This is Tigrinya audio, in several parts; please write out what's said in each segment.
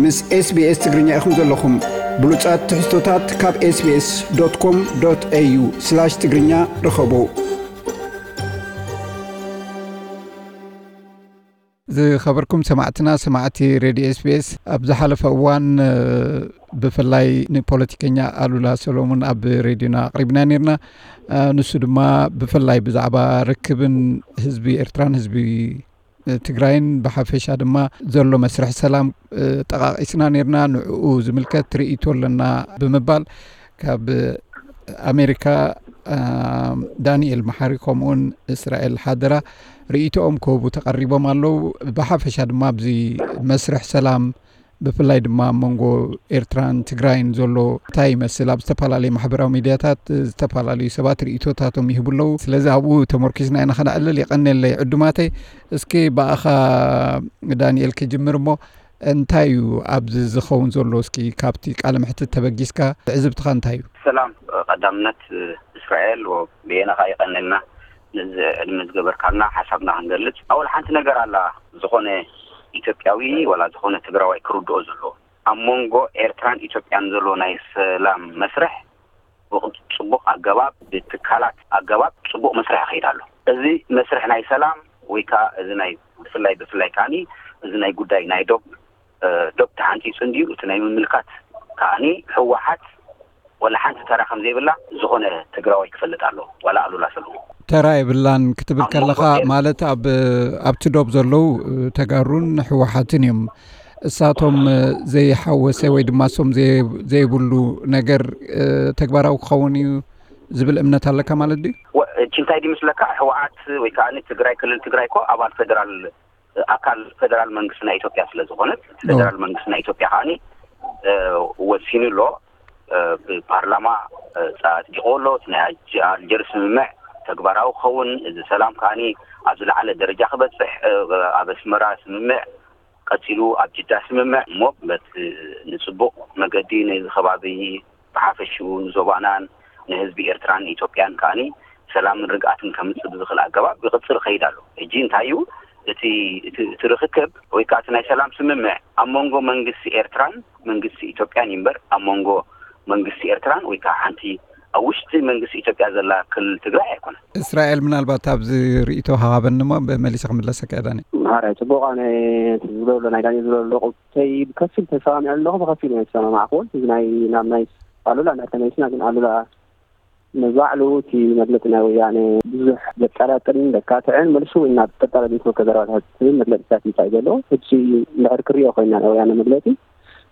ምስ SBS ትግርኛ ኢኹም ዘለኹም። ብሉጻት ትሕዝቶታት ካብ SBS.com.au/ትግርኛ ርኸቡ። ዝኸበርኩም ሰማዕትና፣ ሰማዕቲ ሬድዮ SBS፣ ኣብ ዝሓለፈ እዋን፣ እ፣ ብፍላይ ንፖለቲከኛ ኣሉላ ሰሎሙን ኣብ ሬድዮና ኣቕሪብና ነይርና። እ፣ ንሱ ድማ ብፍላይ ብዛዕባ ርክብን ህዝቢ ኤርትራን ህዝቢ ትግራይን ብሓፈሻ ድማ ዘሎ መስርሕ ሰላም፣ እ፣ ጠቓቒስና ነይርና። ንዕኡ ዝምልከት ርእይቶ ኣለና ብምባል ካብ ኣሜሪካ፣ እ፣ ዳንኤል መሓሪ ከምኡውን እስራኤል ሓደራ ርእይቶኦም ክህቡ ተቐሪቦም ኣለዉ። ብሓፈሻ ድማ ኣብዚ መስርሕ ሰላም ብፍላይ ድማ ኣብ መንጎ ኤርትራን ትግራይን ዘሎ እንታይ ይመስል? ኣብ ዝተፈላለዩ ማሕበራዊ ሚድያታት ዝተፈላለዩ ሰባት ርእይቶታቶም ይህቡ ኣለዉ። ስለዚ ኣብኡ ተመርኪስና ኢና ከነዕልል። የቐንየለይ ዕዱማተይ። እስኪ ብኣኻ ዳንኤል ክጅምር እሞ፣ እንታይ እዩ ኣብዚ ዝኸውን ዘሎ? እስኪ ካብቲ ቃለ መሕትት ተበጊስካ ትዕዝብትኻ እንታይ እዩ? ሰላም፣ ቀዳምነት እስራኤል ወ-፣ ብየናኻ የቐንየልና። ነዚ ዕድመ ዝገበርካልና ሓሳብና ክንገልጽ። ኣወል ሓንቲ ነገር ኣላ፣ ዝኾነ ኢትዮጵያዊ ወላ ዝኾነ ትግራዋይ ክርድኦ ዘለዎ። ኣብ መንጎ ኤርትራን ኢትዮጵያን ዘሎ ናይ ሰላም መስርሕ ብጽቡቕ ኣገባብ፣ ብትካላት ኣገባብ ጽቡቕ መስርሕ ይኸይድ ኣሎ። እዚ መስርሕ ናይ ሰላም ወይ ከኣ እዚ ናይ ብፍላይ፣ ብፍላይ ከኣኒ እዚ ናይ ጉዳይ ናይ ዶብ፣ እ፣ ዶብ ተሓንጺጹ እንድዩ፣ እቲ ናይ ምምልካት ከኣኒ ህወሓት ወላ ሓንቲ ተራ ከም ዘይብላ ዝኾነ ትግራዋይ ክፈልጥ ኣለዎ፣ ዋላ ኣሉላ ሰለሙን። ተራ የብላን ክትብል ኣብ መንጎ ከለኻ፣ ኤር- ማለት ኣብ፣ ኣብቲ ዶብ ዘለዉ፣ እ፣ ተጋሩን ህወሓትን እዮም። እሳቶም፣ እ፣ ዘይሓወሰ ወይ ድማ እሶም ዘየ-፣ ዘይብሉ ነገር፣ እ፣ ተግባራዊ ክኸውን እዩ ዝብል እምነት ኣለካ ማለት ድዩ? ወ-፣ እቺ እንታይ ድዩ ምስለካ፣ ህወሓት ወይ ከኣ ትግራይ፣ ክልል ትግራይ እኮ ኣባል ፌደራል፣ ኣካል ፌደራል መንግስቲ ናይ ኢትዮጵያ ስለ ዝኾነት፣ ኦ። ፌደራል መንግስቲ ናይ ኢትዮጵያ ከኣኒ፣ እ፣ ወሲኑ ኣሎ። እ፣ ብፓርላማ፣ እ፣ ጸ-፣ ኣጽዲቑ ኣሎ። እቲ ናይ ኣጅ-፣ ኣልጀርስ ስምምዕ ተግባራዊ ክኸውን፣ እዚ ሰላም ከኣኒ ኣብ ዝለዓለ ደረጃ ክበጽሕ፣ እ፣ ኣብ ኣስመራ ስምምዕ፣ ቀጺሉ ኣብ ጅዳ ስምምዕ እሞ በቲ ንጽቡቕ መገዲ ነዚ ከባቢ ብሓፈሽኡ ንዞባናን ንህዝቢ ኤርትራን ኢትዮጵያን ከኣኒ ሰላምን ርግኣትን ከምጽእ ብዝኽእል ኣገባብ ይቕጽል ይኸይድ ኣሎ። ሕጂ እንታይ እዩ እቲ፣ እቲ፣ እቲ ርኽክብ ወይ ከኣ እቲ ናይ ሰላም ስምምዕ ኣብ መንጎ መንግስቲ ኤርትራን መንግስቲ ኢትዮጵያን እዩ እምበር ኣብ መንጎ መንግስቲ ኤርትራን ወይ ከኣ ሓንቲ ኣብ ውሽጢ መንግስቲ ኢትዮጵያ ዘላ ክልል ትግራይ ኣይኮነን። እስራኤል፣ ምናልባት ኣብዚ ርእይቶ ሃባበኒ እሞ መሊሰ ክምለሰካ እየ ዳኒ። ማራ ጽቡቕ፣ ኣነ እቲ ዝብሎ ዘሎ፣ ናይ ዳኒ ዝብሎ ዘሎ ቁርተይ ብከፊል ተሰማሚዐ ኣለኹ፣ ብከፊል እየ ዝሰማማዕኩ። እዚ ናይ፣ ናብ ናይ ኣሉላ እንድሕር ተመሊስና ግን ኣሉላ ንባዕሉ እቲ መግለጺ ናይ ወያነ ብዙሕ ዘጠራጥርን ዘካትዕን መልሱ እናተጠራጠረ ዝመልሶ ዘረባታት መግለጺታት እንታይ ዘሎ። ሕጂ እንድሕር ክሪኦ ኮይና ናይ ወያነ መግለጺ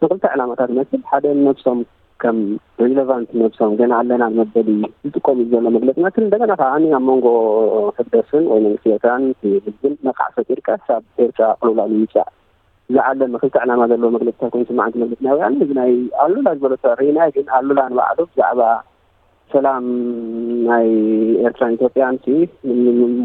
ንክልተ ዕላማታት ዝመስል፣ ሓደ ነብሶም ከም ሪሌቫንት ነብሶም ገና ኣለና መበሊ ዝጥቀሙ ዘሎ መግለጺ ይመስል፣ እንደገና ከዓ ኣብ መንጎ ህግደፍን ወይ መንግስቲ ኤርትራን ህዝብን ነቃዕ ፈጢርካ ካብ ኤርትራ ቅልውላው ንምምጻእ ዝዓለመ ክልተ ዕላማ ዘለዎ መግለጺታት ኮይኑ ስማዕ፣ መግለጺ ናይ ወያነ። እዚ ናይ ኣሉላ ዝበሎ ተሪእና፣ ግን ኣሉላ ንባዕሉ ብዛዕባ ሰላም ናይ ኤርትራን ኢትዮጵያን ሲ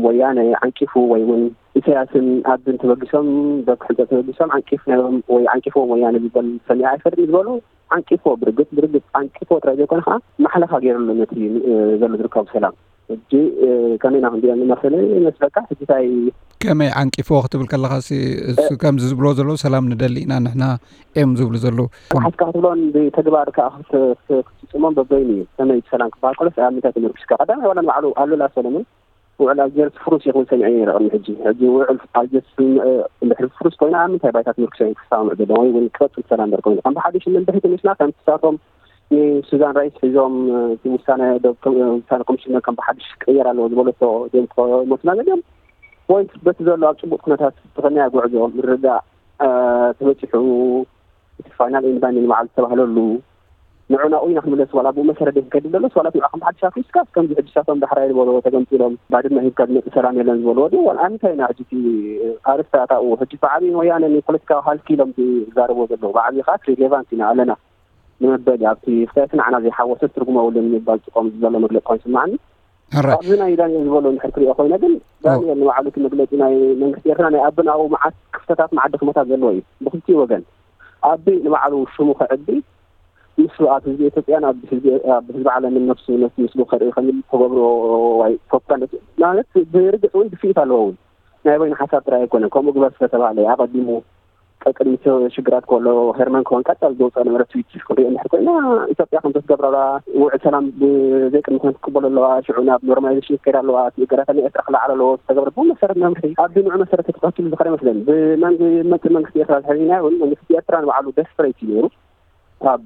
ወያነ ዓንቂፉ ወይ እውን ኢሳያስን ኣብን ተበጊሶም፣ ዶብ ሕንጸት ተበጊሶም ዓንቂፍ ናይ ወይ ዓንቂፍዎም ወያነ ዝበል ሰሚዐ ኣይፈልጥን ዝበሉ፣ ዓንቂፍዎ፣ ብርግጽ፣ ብርግጽ ዓንቂፍዎ ጥራይ ዘይኮነ ከዓ ማሕለኻ ገይርሉ ነቲ፣ እ፣ ዘሎ ዝርከቡ ሰላም። ሕጂ፣ እ፣ ከመይ ኢና ክንሪኦ ንመስለ ይመስለካ? ሕጂ እንታይ ከመይ ዓንቂፍዎ ክትብል ከለኻሲ፣ እሱ እ፣ ከምዚ ዝብልዎ ዘለዉ፣ ሰላም ንደሊ ኢና ንሕና እዮም ዝብሉ ዘለዉ። ሓዝካ ክትብሎን ብተግባር ከዓ ክት-፣ ክት-፣ ክትፍጽሞን በበይኑ እዩ። ከመይ ሰላም ክበሃል ከሎስ ኣብ ምንታይ ተመርኪስካ? ቀዳማይ ዋላ ንባዕሉ ኣሉላ ሰለሙን ውዕል ኣልጀርስ ፍሩስ እዩ ክብል ሰሚዐ ነይረ ቅድሚ ሕጂ። ሕጂ ውዕል ኣልጀርስ ስምምዕ እንድሕር ፍሩስ ኮይና ኣብ ምንታይ ባይታ ተመርኪሶም እዮም ክሰማምዑ ዘለዎም ወይ እውን ክቐጽል ሰላም በር ኮይኑ? ከም ብሓድሽ እንድሕር ተመሊስና ከም ንሳቶም ንሱዛን ራይስ ሒዞም፣ እ፣ እቲ ውሳነ ዶ-፣ ውሳነ ኮሚሽን ከም ብሓድሽ ክቕየር ኣለዎ ዝበለቶ ድዮም ክመልሱና ዘድልዮም? ወይስ በቲ ዘሎ ኣብ ጽቡቕ ኩነታት ተኸንያ ጉዕዞ ምርድዳእ፣ እ፣ ተበጺሑ እቲ ፋይናል ኤንድ ባይንዲንግ ንባዕሉ ዝተባህለሉ ንዑ ናብኡ ኢና ክንምለስ፣ ዋላ ብኡ መሰረት ድዩ ክከይድ ደሎስ ዋላ ንዕኦም ብሓድሽ ኣፍሪስካ ከምዚ ሕጂ ንሳቶም ዳሕራይ ዝበልዎ ተገምጢሎም ባድመ ሂብካ ዝመጽእ ሰላም የለን ዝበልዎ ድዩ? ዋላ እንታይ ኢና ሕጂ እቲ ኣርእስቲ ኣታኡ? ሕጂ ብዓብዪ ንወያነ ንፖለቲካዊ ሃልኪ ኢሎም ዝዛረብዎ ዘለዉ፣ ብዓብዪ ከዓ ሪሌቫንት ኢና ኣለና ንመበሊ ኣብቲ ፍታየት ንዓና ዘይሓወሰ ትርጉም የብሉን ንምባል ዝጥቀሙ ዘሎ መግለጺ ኮይኑ ይስምዓኒ። ሕራይ። ኣብዚ ናይ ዳንኤል ዝበሎ እንድሕር ክሪኦ ኮይነ ግን፣ ኦ። ዳንኤል ንባዕሉ እቲ መግለጺ ናይ መንግስቲ ኤርትራ ናይ ኣበን ኣብኡ መዓት ክፍተታት መዓት ድኽመታት ዘለዎ እዩ ብክልቲኡ ወገን። ኣቢ ንባዕሉ ሽሙ ከዕቢ፣ ንሱ ኣብ ህዝቢ ኢትዮጵያን ኣብ ህዝቢ፣ ኣብ ህዝቢ ዓለምን ነፍሱ፣ ነፍሱ ምስሉ ከርኢ ከም ዝገብሮ ወይ ፕሮፓጋንዳ ማለት ብርግጽ እውን ድፍኢት ኣለዎ እውን። ናይ በይኑ ሓሳብ ጥራይ ኣይኮነን። ከምኡ ግበር ስለተባህለ ኣቐዲሙ ቀቅድሚ ሽግራት ከሎ ሄርመን ከሆን ቀጻል ዝወፅኦ ነበረ ትዊት ክንሪኦ እንድሕር ኮይና ኢትዮጵያ ከም ተትገብረላ ውዕል ሰላም ብዘይቅድሚ ኩነት ክትቅበሎ ኣለዋ። ሽዑ ናብ ኖርማላይዜሽን ክትከይድ ኣለዋ። እቲ እገዳታት ናይ ኤርትራ ክለዓል ኣለዎ። ዝተገብረ ብመሰረት መምርሒ ኣብዚ ንዑ መሰረት ተተኸትሉ ዝኸደ ይመስለኒ። ብመንግ መጽእ መንግስቲ ኤርትራ ዝሕዝና እውን መንግስቲ ኤርትራ ንባዕሉ ደስፐሬት እዩ ነይሩ። ካብ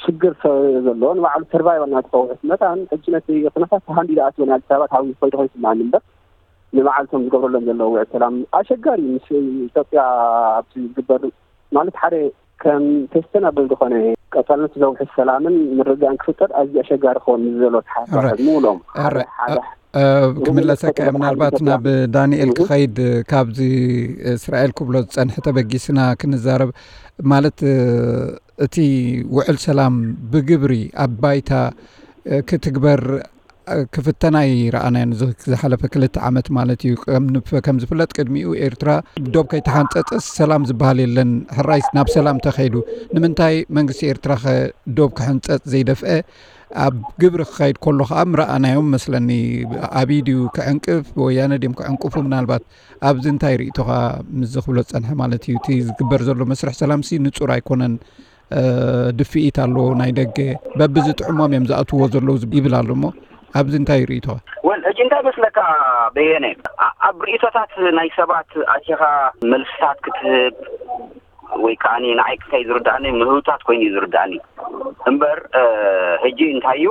ሽግር ዘሎ ንባዕሉ ሰርቫይቫል ናትኸውሕት መታን ሕጂ ነቲ ኩነታት ሃንዲዳ ኣትወን ኣዲስ ኣበባ ታዊ ኮይዶ ኮይኑ ስማኒ እምበር ንመዓልቶም ዝገብረሎም ዘለዉ ውዕል ሰላም ኣሸጋሪ ምስ ኢትዮጵያ ኣብቲ ዝግበር ማለት ሓደ ከም ቴስተናብል ዝኾነ ቀጻልነት ዘውሕስ ሰላምን ምርግጋእን ክፍጠር ኣዝዩ ኣሸጋሪ ክኸውን ምስ ዘሎ ተሓሳሰብ ምውሎም ሓደ ክምለሰካ ምናልባት ናብ ዳንኤል ክኸይድ ካብዚ እስራኤል ክብሎ ዝጸንሐ ተበጊስና ክንዛረብ ማለት እቲ ውዕል ሰላም ብግብሪ ኣብ ባይታ ክትግበር ክፍተና ይረኣናዮ ዝሓለፈ ክልተ ዓመት ማለት እዩ። ከም ዝፍለጥ ቅድሚኡ ኤርትራ ዶብ ከይተሓንፀፀስ ሰላም ዝበሃል የለን። ሕራይ ናብ ሰላም ተኸይዱ ንምንታይ መንግስቲ ኤርትራ ከ ዶብ ክሕንፀፅ ዘይደፍአ ኣብ ግብሪ ክኸይድ ከሎ ከዓ ምረኣናዮም መስለኒ። ኣብይ ድዩ ክዕንቅፍ ወያነ ድዮም ክዕንቅፉ ምናልባት ኣብዚ እንታይ ርእቶኻ ምዚ ክብሎ ዝጸንሐ ማለት እዩ። እቲ ዝግበር ዘሎ መስርሕ ሰላምሲ ንጹር ኣይኮነን። ድፍኢት ኣሎ ናይ ደገ በብዝጥዕሞም እዮም ዝኣትዎ ዘለዉ ይብል ኣሎ እሞ ኣብዚ እንታይ ርእቶኻ? ወል ሕጂ እንታይ መስለካ በየነ ኣብ ርእቶታት ናይ ሰባት ኣቲኻ መልስታት ክትህብ ወይ ከዓ ንዓይ ክታይ ዝርዳእኒ ምህውታት ኮይኑ እዩ ዝርዳእኒ እምበር ሕጂ እንታይ እዩ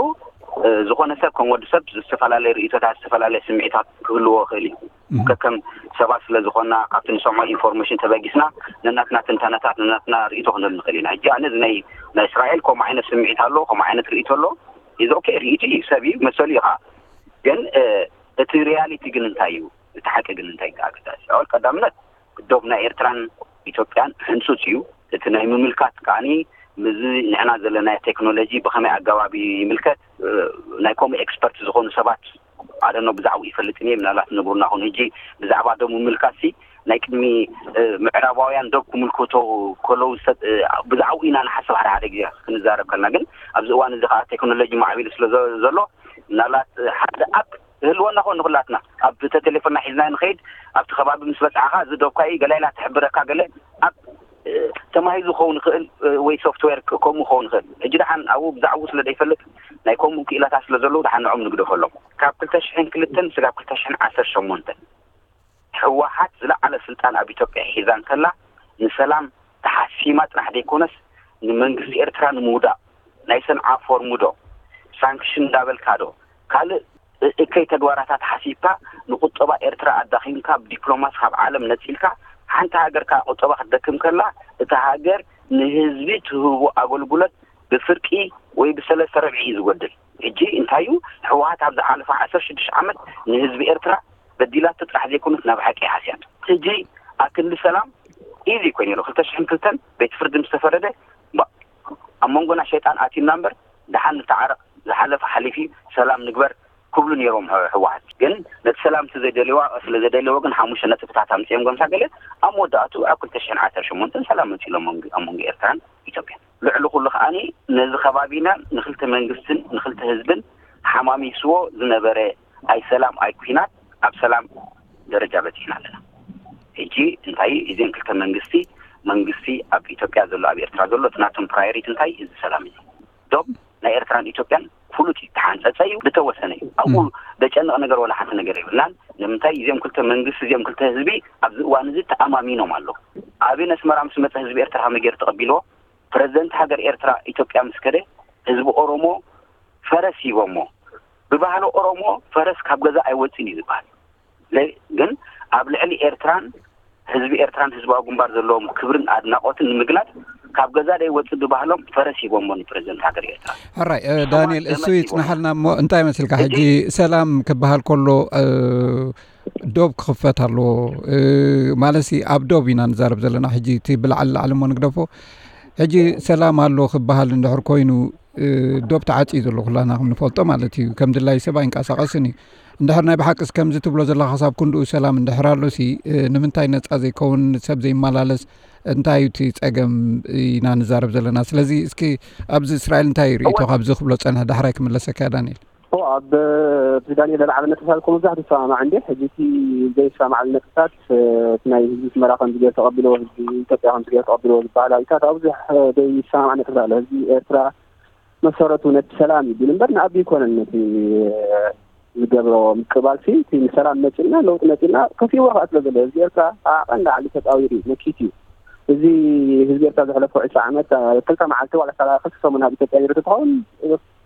ዝኾነ ሰብ ከም ወዲ ሰብ ዝተፈላለየ ርእቶታት ዝተፈላለየ ስምዒታት ክህልዎ ይኽእል እዩ ከከም ሰባት ስለ ዝኾና ካብቲ ንሰምዖ ኢንፎርሜሽን ተበጊስና ነናትና ትንተነታት ነናትና ርእቶ ክንህል ንኽእል ኢና ሕጂ ኣነ ናይ ናይ እስራኤል ከምኡ ዓይነት ስምዒት ኣሎ ከምኡ ዓይነት ርእቶ ኣሎ ኢዝ ኦኬ ርእቱ እዩ ሰብ እዩ መሰሉ እዩ ከዓ ግን እቲ ሪያሊቲ ግን እንታይ እዩ እቲ ሓቂ ግን እንታይ ኣገዳሲ ኣወል ቀዳምነት ዶብ ናይ ኤርትራን ኢትዮጵያን ሕንፁፅ እዩ እቲ ናይ ምምልካት ከዓኒ ምዚ ንዕና ዘለና ቴክኖሎጂ ብኸመይ ኣገባብ ይምልከት ናይ ከምኡ ኤክስፐርት ዝኾኑ ሰባት ኣደኖ ብዛዕባኡ ይፈልጥን እየ ምናልባት ነግሩና ኹን ሕጂ ብዛዕባ ዶብ ምምልካት ሲ ናይ ቅድሚ ምዕራባውያን ዶብ ክምልከቶ ከለዉ ብዛዕባኡ ኢና ንሓስብ ሓደ ሓደ ግዜ ክንዛረብ ከልና ግን ኣብዚ እዋን እዚ ከዓ ቴክኖሎጂ ማዕቢሉ ስለ ዘሎ ምናልባት ሓደ ኣፕ ክህልወና ኮን ንኩላትና ኣብ ተ ቴሌፎንና ሒዝና ንኸይድ ኣብቲ ከባቢ ምስ በጻዕኻ እዚ ዶብካ እዩ ገለ ኢላ ትሕብረካ ገለ ኣብ ተማሂዙ ክኸውን ይኽእል ወይ ሶፍትዌር ከምኡ ክኸውን ይኽእል ሕጂ ደሓን ኣብኡ ብዛዕባኡ ስለ ዘይፈልጥ ናይ ከምኡ ክኢላታት ስለ ዘለዉ ደሓን ንዖም ንግደፈሎም ካብ ክልተ ሽሕን ክልተን ስጋብ ክልተ ሽሕን ዓሰርተ ሸሞንተን ህወሓት ዝለዓለ ስልጣን ኣብ ኢትዮጵያ ሒዛ እንከላ ንሰላም ተሓሲማ ጥራሕ ዘይኮነስ ንመንግስቲ ኤርትራ ንምውዳቕ ናይ ሰንዓ ፎርም ዶ ሳንክሽን እንዳበልካ ዶ ካልእ እከይ ተግባራታት ሓሲብካ ንቁጠባ ኤርትራ ኣዳኺምካ ብዲፕሎማሲ ካብ ዓለም ነፂልካ ሓንቲ ሃገር ከዓ ቁጠባ ክትደክም ከላ እታ ሃገር ንህዝቢ ትህቦ ኣገልግሎት ብፍርቂ ወይ ብሰለስተ ረብዒ እዩ ዝጎድል ሕጂ እንታይ እዩ ህወሓት ኣብ ዝሓለፈ ዓሰርተ ሽዱሽተ ዓመት ንህዝቢ ኤርትራ በዲላቶ ጥራሕ ዘይኮነት ናብ ሓቂ ሓስያቶ ሕጂ ኣክንዲ ሰላም ኢዚ እኮ ነይሩ ክልተ ሽሕን ክልተን ቤት ፍርዲ ምስ ተፈረደ ኣብ መንጎና ሸይጣን ኣትዩና እምበር ደሓን ንተዓረቕ ዝሓለፈ ሓሊፊ ሰላም ንግበር ክብሉ ነይሮም ህወሓት ግን ነቲ ሰላም እቲ ዘይደልዋ ስለ ዘደለዎ ግን ሓሙሽተ ነጥብታት ኣምፅኦም ጎምሳ ገለ ኣብ መወዳእቱ ኣብ ክልተ ሽሕን ዓሰርተ ሸሞንተን ሰላም መፂሎም ኣብ መንጎ ኤርትራን ኢትዮጵያን ልዕሊ ኩሉ ከዓኒ ነዚ ከባቢና ንክልተ መንግስትን ንክልተ ህዝብን ሓማሚስዎ ዝነበረ ኣይ ሰላም ኣይ ኩናት ኣብ ሰላም ደረጃ በፂሕና ኣለና ሕጂ እንታይ እዚን ክልተ መንግስቲ መንግስቲ ኣብ ኢትዮጵያ ዘሎ ኣብ ኤርትራ ዘሎ እቲ ናቶም ፕራዮሪቲ እንታይ እዚ ሰላም እዩ ዶብ ናይ ኤርትራን ኢትዮጵያን ፍሉጥ እዩ ተሓንፀፀ እዩ ዝተወሰነ እዩ ኣብኡ ዘጨንቕ ነገር ወላ ሓንቲ ነገር የብልናን ንምንታይ እዚኦም ክልተ መንግስቲ እዚኦም ክልተ ህዝቢ ኣብዚ እዋን እዚ ተኣማሚኖም ኣለዉ ኣብን ኣስመራ ምስ መፀ ህዝቢ ኤርትራ ከመይ ገይሩ ተቐቢልዎ ፕረዚደንት ሃገር ኤርትራ ኢትዮጵያ ምስ ከደ ህዝቢ ኦሮሞ ፈረስ ሂቦሞ ብባህሊ ኦሮሞ ፈረስ ካብ ገዛ ኣይወፅን እዩ ዝበሃል ግን ኣብ ልዕሊ ኤርትራን ህዝቢ ኤርትራን ህዝባዊ ግንባር ዘለዎም ክብርን ኣድናቆትን ንምግላፅ ካብ ገዛ ደይ ወፅእ ብባህሎም ፈረስ ሂቦሞ ንፕረዚደንት ሃገር ኤርትራ ሕራይ ዳንኤል እሱ ይፅናሓልና እሞ እንታይ መስልካ ሕጂ ሰላም ክበሃል ከሎ ዶብ ክኽፈት ኣለዎ ማለት ኣብ ዶብ ኢና ንዛረብ ዘለና ሕጂ እቲ ብላዕሊ ላዕሊ እሞ ንግደፎ ሕጂ ሰላም ኣሎ ክበሃል እንድሕር ኮይኑ ዶብ ተዓፅዩ ዘሎ ኩላና ከም ንፈልጦ ማለት እዩ ከም ድላይ ሰብ ኣይንቀሳቀስን እዩ እንድሕር ናይ ብሓቅስ ከምዚ ትብሎ ዘለካ ክሳብ ክንድኡ ሰላም እንድሕር ኣሎ ሲ ንምንታይ ነፃ ዘይከውን ሰብ ዘይመላለስ እንታይ እዩ እቲ ፀገም ኢና ንዛረብ ዘለና ስለዚ እስኪ ኣብዚ እስራኤል እንታይ ርእቶ ካብዚ ክብሎ ፀንሐ ዳሕራይ ክምለሰካ ዳንኤል ኣብ እቲ ዳንኤል ለዓለ ነጥብታት እኮ መብዛሕትኡ ይሰማማዕ እንዴ። ሕጂ እቲ ዘይሰማማዓሉ ነጥብታት፣ እ፣ እቲ ናይ ህዝቢ ኣስመራ ከምዚ ገይሩ ተቐቢልዎ፣ ህዝቢ ኢትዮጵያ ከምዚ ገይሩ ተቐቢልዎ ዝበሃል ኣብታት ኣብ ብዙሕ፣ እ፣ ዘይሰማማዕ ነጥብታት ኣሎ። ህዝቢ ኤርትራ መሰረቱ ነቲ ሰላም እዩ ብል እምበር ንኣቢ ኣይኮነን ነቲ፣ እ፣ ዝገብሮ ምቅባል ሲ፣ እቲ ንሰላም መጺእና፣ ለውጢ መጺእና፣ ከፊእዎ ከኣ ስለ ዘሎ ህዝቢ ኤርትራ ኣብ ዓቐን ላዕሊ ተጻዊሩ እዩ፣ መኪት እዩ። እዚ ህዝቢ ኤርትራ ዘሕለፎ ዕስራ ዓመት፣ እ፣ ክልተ መዓልቲ ዋላ ሳላ ክልተ ሰሙን ኣብ ኢትዮጵያ ነይሩ ተትኸውን፣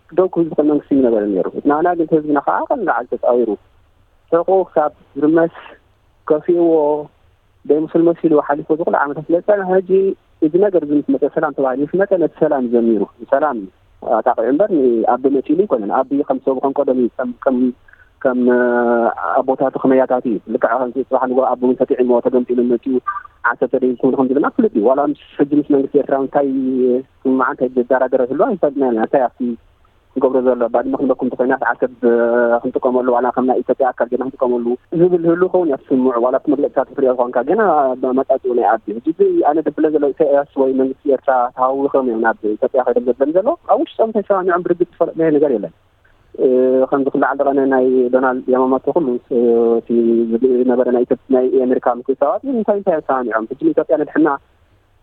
ደው ክብል ዝኽእል መንግስቲ እዩ ነበረ ነይሩ። ናህና ግን ህዝብና ከዓ ቀን ላዕሊ ተፃዊሩ ሕቁ ክሳብ ዝርመስ ከፊእዎ ደይምስል መሲሉ ሓሊፉ ዝኽሉ ዓመታት ስለ ዝፀንሐ፣ ሕጂ እዚ ነገር እዚ ምስ መፀ ሰላም ተባሂሉ ምስ መፀ ነቲ ሰላም ዘሚሩ ሰላም ኣጣቂዑ እምበር ንኣቢ መፂሉ ኣይኮነን። ኣቢ ከም ሰብ ከም ቀደም እዩ። ከም ከም ከም ኣቦታቱ ከመያታት እዩ። ልክዕ ከምዚ ፅባሕ ንጎ ኣቢ እውን ተጥዒሞ ተገምጢሉ መፂኡ ዓሰርተ ደይ ክብሉ ከም ዝብልና ፍሉጥ እዩ። ዋላ ምስ ሕጂ ምስ መንግስቲ ኤርትራ እንታይ ስምምዓ እንታይ ዘደራደረ ህሉ ኣይፈልጥና ኢና። እንታይ ኣብቲ ዝገብሮ ዘሎ ባድመ ክንበኩም እንተኮይናስ ዓሰብ ክንጥቀመሉ ዋላ ከም ናይ ኢትዮጵያ ኣካል ገና ክንጥቀመሉ ዝብል ህሉ ከውን እያ ትስምዑ። ዋላ ኣብቲ መግለፅታት ክትሪኦ ዝኾንካ ገና መጣፅኡ ናይ ኣቢ ሕጂ እዚ ኣነ ደብለ ዘሎ ኢሳያስ ወይ መንግስቲ ኤርትራ ተሃዊኾም እዮም ናብ ኢትዮጵያ ከይዶም ዘበን ዘሎ ኣብ ውሽጦም ተሰማሚዖም ብርግፅ ዝፈለጥናዮ ነገር የለን። ከምዚ ክለዓል ደቐነ ናይ ዶናልድ ያማማቶ ኩሉ እቲ ዝነበረ ናይ ኢትዮጵ ናይ ኣሜሪካ ምክትታባት እንታይ እንታይ ተሰማሚዖም ሕጂ ንኢትዮጵያ ነድሕና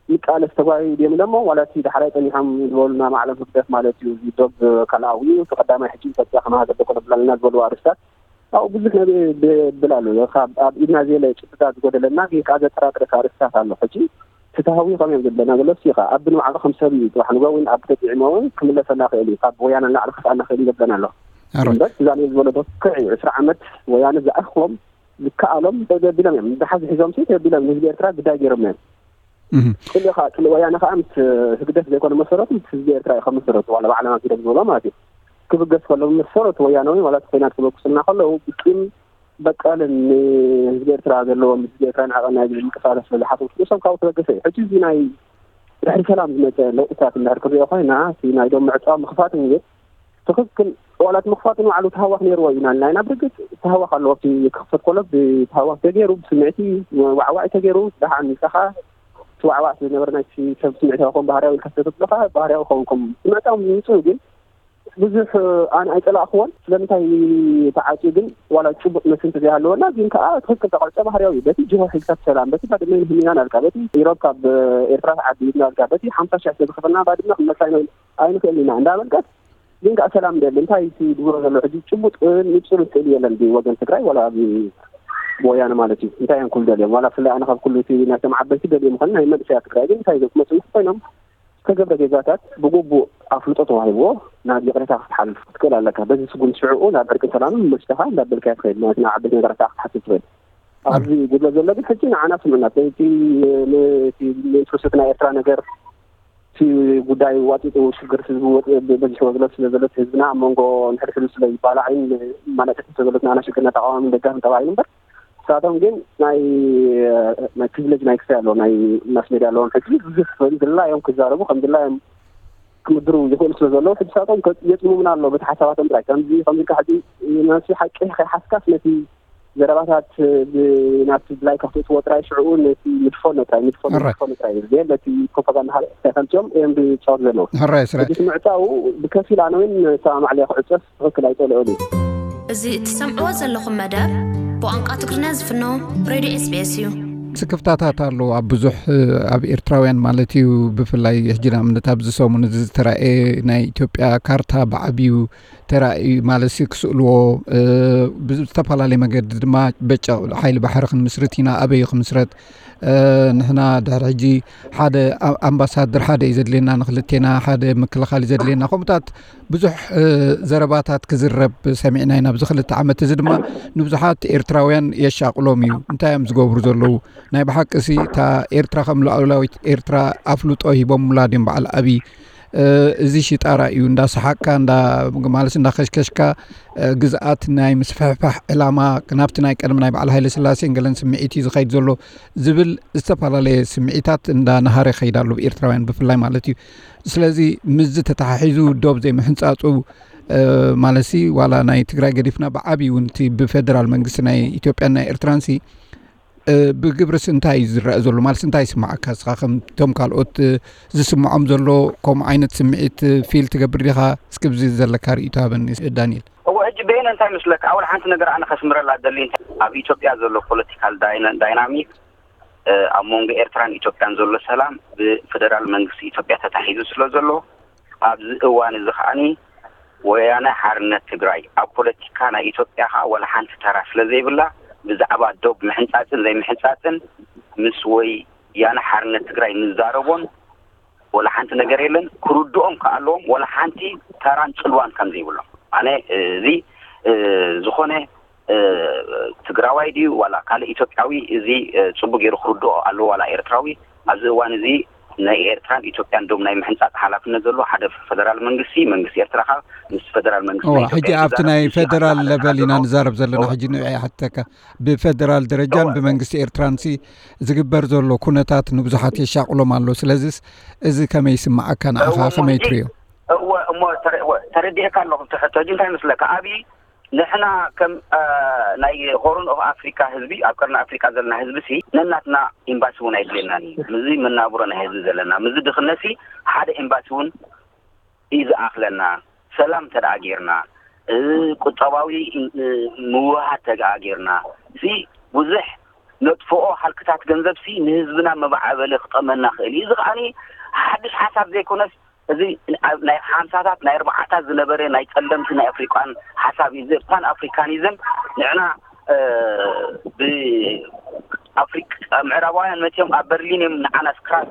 ንቃለስ ተጓዩ ድዮም ኢሎሞ ዋላ እቲ ዳሕራይ ጸኒሖም ዝበሉና ማዕለም ህግደፍ ማለት እዩ እዚ ዶብ ካልኣዊ እዩ እቲ ቀዳማይ ሕጂ ኢትዮጵያ ከመሃገር ደኮነ ብላለና ዝበሉ ኣርስታት ኣብኡ ብዙሕ ነቢ ብል ኣሎ ካብ ኣብ ኢድና ዘየለ ጭብጥታት ዝጎደለና ግን ከዓ ዘጠራጥረካ ኣርስታት ኣሎ ሕጂ ፍትሃዊ ከመይ እዮም ዘለና ዘሎ ሲኻ ኣብ ንባዕሉ ከም ሰብ እዩ ጽባሕ ንጎ እውን ኣብ ተጥዒሞ እውን ክምለሰና ክእል እዩ ካብ ወያነ ንላዕሊ ክስኣና ክእል እዩ ዘብለና ኣሎ እምበር ዛኔ ዝበሎ ዶ ክዕ እዩ ዕስራ ዓመት ወያነ ዝኣኽቦም ዝከኣሎም ተደቢሎም እዮም። ደሓዚ ሒዞም ሲ ተደቢሎም ንህዝቢ ኤርትራ ግዳይ ገይሮም እዮም። ጽልኢ ከዓ ጽልኢ ወያነ ከዓ ምስ ህግደፍ ዘይኮነ መሰረቱ ምስ ህዝቢ ኤርትራ እዩ ከም መሰረቱ ዋላ ባዕሎም ኣቢሎም ዝበሎ ማለት እዩ። ክብገስ ከሎ መሰረቱ ወያናዊ ዋላ እቲ ኮይናት ክበግሱልና ከለዉ ብቂም በቀልን ንህዝቢ ኤርትራ ዘለዎም ህዝቢ ኤርትራ ንዓቐና ዝብል ምንቅስቃሳት ስለ ዝሓተቱ ንሶም ካብኡ ተበገሰ እዩ። ሕጂ እዚ ናይ ድሕሪ ሰላም ዝመፀ ለውጥታት እንድሕር ክንሪኦ ኮይና እቲ ናይ ዶም ምዕፃው ምኽፋት እንግዲህ ትኽክል ዋላ እቲ ምኽፋት ንባዕሉ ተሃዋኽ ነይርዎ ኢና ኢልና ኢና ብርግፅ ተሃዋኽ ኣለዎ ኣብቲ ክኽፈት ከሎ ብተሃዋኽ ተገይሩ ብስምዕቲ ዋዕዋዕ ተገይሩ ደሓን ኢልካ እቲ ዋዕዋዕ ስለ ዝነበረ ናይቲ ሰብ ስምዕታዊ ክኸውን ባህርያዊ ኢልካ ስለ ተብሎ ከዓ ባህርያዊ ክኸውን ከም ምዕፃው ምምፅኡ ግን ብዙሕ ኣነ ኣይፀላእክዎን ስለምንታይ ተዓፅዩ ግን ዋላ ጭቡጥ መስል እንተዘይሃለወና ግን ከዓ ትኽክል ተቐርፀ ባህርያዊ እዩ በቲ ጅሆ ሒዝካ ሰላም በቲ ባድመ ንህሚና ናልካ በቲ ኢሮብ ካብ ኤርትራ ተዓቢ ኢድና ናልካ በቲ ሓምሳ ሽሕ ስለ ዝኸፈልና ባድመ ክንመልሳ ኣይንኽእልን ኢና እንዳበልካስ ግን ከዓ ሰላም ደሊ እንታይ እቲ ዝብሎ ዘሎ ሕጂ ጭቡጥ ንፁር ስእሊ የለን ብወገን ትግራይ ዋላ ብወያነ ማለት እዩ እንታይ እዮም ክብሉ ደልዮም ዋላ ብፍላይ ኣነ ካብ ኩሉ እቲ ናይቶም ዓበይቲ ደልዮም ምዃኑ ናይ መንእሰያ ትግራይ ግን እንታይ ክመፁ ምስ ኮይኖም ዝተገብረ ጌጋታት ብግቡእ ኣፍልጦ ተዋሂብዎ ናብ ይቕሬታ ክትሓልፍ ክትክእል ኣለካ በዚ ስጉምቲ ሽዕኡ ናብ ዕርቅን ሰላምን መሲልካ እንዳበልካዮ ትኸይድ ማለት ናብ ዓበይቲ ነገራት ክትሓስብ ትኽእል ኣብዚ ጉድለት ዘሎ ግን ሕጂ ንዓና ስምዕና እቲ ንኢንትረስት ናይ ኤርትራ ነገር እቲ ጉዳይ ዋጢጡ ሽግር ህዝቢ በዚሕዎ ዘሎ ስለ ዘሎ ህዝብና ኣብ መንጎ ንሕድሕዱ ስለ ይባላዕን ማለጠት ስለ ዘሎ ንዓና ሽግርና ተቃዋሚ ደጋፊ ተባሂሉ እምበር ንሳቶም ግን ናይ ናይ ፕሪቪሌጅ ናይ ክስታይ ኣለዎ ናይ ማስ ሜድያ ኣለዎም ሕጂ ብዙሕ ከም ድላዮም ክዛረቡ ከም ድላዮም ክምድሩ ይኽእሉ ስለ ዘለዉ ሕጂ ንሳቶም የፅሙምና ኣለዉ በቲ ሓሳባቶም ጥራይ ከምዚ ከምዚ ኢልካ ሕጂ ነቲ ሓቂ ከይሓዝካስ ነቲ ዘረባታት ናብቲ ድላይካ ክትእትዎ ጥራይ ሽዕኡ ነቲ ንድፎ ነጥራይ ንድፎ ንድፎ ነጥራይ እዩ ዘየለ እቲ ፕሮፓጋንዳ ሓደ እንታይ ከምፅኦም እዮም ዝፃወቱ ዘለዉ ሕራይ ስረ ሕጂ እቲ ምዕፃዉ ብከፊል ኣነ እውን ሰማማዕ ለያ ክዕፀስ ትኽክል ኣይፀልኦን እዩ እዚ እትሰምዕዎ ዘለኹም መደብ ብቋንቋ ትግርኛ ዝፍኖ ሬድዮ ኤስቢኤስ እዩ። ስክፍታታት ኣሎ ኣብ ብዙሕ ኣብ ኤርትራውያን ማለት እዩ። ብፍላይ ሕጂ ንኣብነት ኣብዚ ሰሙን እዚ ዝተራእየ ናይ ኢትዮጵያ ካርታ ብዓብዩ ተራእዩ ማለት ክስእልዎ ብዝተፈላለየ መገዲ ድማ በጨቕ ሓይሊ ባሕሪ ክንምስርት ኢና ኣበይ ክምስረት ንሕና ድሕሪ ሕጂ ሓደ ኣምባሳደር ሓደ እዩ ዘድልየና ንክልቴና ሓደ ምክልኻል እዩ ዘድልየና ከምኡታት ብዙሕ ዘረባታት ክዝረብ ሰሚዕና ኢና ኣብዚ ክልተ ዓመት እዚ ድማ ንብዙሓት ኤርትራውያን የሻቕሎም እዩ እንታይ እዮም ዝገብሩ ዘለዉ ናይ ብሓቂ ሲ እታ ኤርትራ ከም ሉዓላዊት ኤርትራ ኣፍልጦ ሂቦምላ ድዮም በዓል ኣብይ እዚ ሽጣራ እዩ እንዳሰሓቅካ እንዳ ማለስ እንዳከሽከሽካ ግዝኣት ናይ ምስፍሕፋሕ ዕላማ ናብቲ ናይ ቀደም ናይ በዓል ሃይለ ስላሴን ገለን ስምዒት እዩ ዝኸይድ ዘሎ ዝብል ዝተፈላለየ ስምዒታት እንዳነሃረ ይኸይድ ኣሎ ብኤርትራውያን ብፍላይ ማለት እዩ ስለዚ ምስዚ ተተሓሒዙ ዶብ ዘይምሕንፃፁ ማለሲ ዋላ ናይ ትግራይ ገዲፍና ብዓብይ እውን እቲ ብፌደራል መንግስቲ ናይ ኢትዮጵያን ናይ ኤርትራንሲ ብግብርስ እንታይ እዩ ዝረአ ዘሎ ማለት እንታይ ይስማዓካ እስኻ ከምቶም ካልኦት ዝስምዖም ዘሎ ከምኡ ዓይነት ስምዒት ፊል ትገብር ዲኻ እስኪ ብዚ ዘለካ ርእይቶ ሃበኒ ዳንኤል እወ በየነ እንታይ ይመስለካ? ኣውል ሓንቲ ነገር ኣነ ከስምረላ ደሊ፣ እንታይ ኣብ ኢትዮጵያ ዘሎ ፖለቲካል ዳይና- ዳይናሚክ፣ እ፣ ኣብ መንጎ ኤርትራን ኢትዮጵያን ዘሎ ሰላም ብፌደራል መንግስቲ ኢትዮጵያ ተታሒዙ ስለ ዘሎ፣ ኣብዚ እዋን እዚ ከዓኒ ወያነ ሓርነት ትግራይ ኣብ ፖለቲካ ናይ ኢትዮጵያ ከዓ ወላ ሓንቲ ተራ ስለ ዘይብላ፣ ብዛዕባ ዶብ ምሕንጻጽን ዘይምሕንጻጽን ምስ ወያነ ሓርነት ትግራይ ንዛረቦን ወላ ሓንቲ ነገር የለን። ክርድኦም ከዓ ኣለዎም፣ ወላ ሓንቲ ተራን ጽልዋን ከም ዘይብሎም። ኣነ እዚ፣ እ፣ ዝኾነ፣ እ፣ ትግራዋይ ድዩ ዋላ ካልእ ኢትዮጵያዊ፣ እዚ፣ እ፣ ጽቡቅ ገይሩ ክርድኦ ኣለዎ፣ ዋላ ኤርትራዊ። ኣብዚ እዋን እዚ ናይ ኤርትራን ኢትዮጵያን ዶብ ናይ ምሕንጻጽ ሓላፍነት ዘለዎ ሓደ ፈደራል መንግስቲ፣ መንግስቲ ኤርትራ ከዓ ምስ ፈደራል መንግስቲ እዋ፣ ናይ ኢትዮጵያ ሕጂ ኣብቲ ይዛረብ፣ ናይ ምስ ፈደራል ኣመሓዳሪ ለቨል ኢና ኣለዎ። ንዛረብ ዘለና። እዋ። ሕጂ ንዕይ ሓተካ፣ ብፈደራል ደረጃን እዋ። ብመንግስቲ ኤርትራንሲ ዝግበር ዘሎ ኩነታት ንብዙሓት የሻቕሎም ኣሎ። ስለዚስ እዚ ከመይ ይስምዓካ ንዓኻ? እዋ፣ እሞ ከመይ ሕጂ፣ ትርእዮ? እወ፣ እሞ ተረ-፣ እወ፣ ተረዲኤካ ኣለኹ። እቲ ሕቶ ሕጂ እንታይ ይመስለካ? ኣብይ ንሕና ከም፣ እ፣ ናይ ሆርን ኦፍ ኣፍሪካ ህዝቢ፣ ኣብ ቀርኒ ኣፍሪካ ዘለና ህዝቢ ሲ ነናትና ኤምባሲ እውን ኣይድልየናን እዩ። ምዚ መናብሮ ናይ ህዝቢ ዘለና፣ ምዚ ድኽነት ሲ ሓደ ኤምባሲ እውን እዩ ዝኣኽለና። ሰላም እንተ ደኣ ጌርና፣ እ፣ ቁጠባዊ፣ እ፣ ምውህሃድ እንተ ደኣ ጌርና፣ እዚ ብዙሕ ነጥፍኦ ሃልክታት ገንዘብ ሲ ንህዝብና መባዓበሊ ክጠመና ክእል እዩ። እዚ ከዓኒ ሓድሽ ሓሳብ ዘይኮነስ፣ እዚ ኣብ ናይ ሓምሳታት ናይ ኣርባዓታት ዝነበረ ናይ ጸለምቲ ናይ ኣፍሪቃን ሓሳብ እዩ። እዚ ፓን ኣፍሪካኒዝም ንዕና፣ እ፣ ብ-፣ ኣፍሪቃ፣ ምዕራባውያን መጺኦም ኣብ በርሊን እዮም ንዓና ስክራ-፣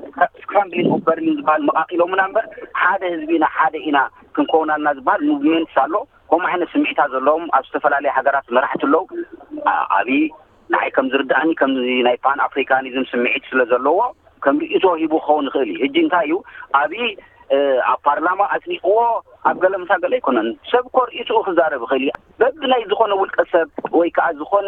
ስክራምብሊንግ ኦፍ በርሊን ዝበሃል መቓቒሎምና እምበር፣ ሓደ ህዝቢ ኢና፣ ሓደ ኢና ክንከውን ኣለና ዝበሃል ሙቭሜንትስ ኣሎ። ከምኡ ዓይነት ስምዒታት ዘለዎም ኣብ ዝተፈላለየ ሃገራት መራሕቲ ኣለዉ። ኣ-፣ ኣብይ ንዓይ ከም ዝርድኣኒ ከምዚ ናይ ፓን ኣፍሪካኒዝም ስምዒት ስለ ዘለዎ ከም ርእይቶ ሂቡ ክኸውን ይኽእል እዩ። ሕጂ እንታይ እዩ ኣብይ፣ እ፣ ኣብ ፓርላማ ኣጽዲቕዎ ኣብ ገለ ምሳ ገለ ኣይኮነን። ሰብ እኮ ርእይትኡ ክዛረብ ይኽእል እዩ። በብናይ ዝኾነ ውልቀ ሰብ ወይ ከዓ ዝኾነ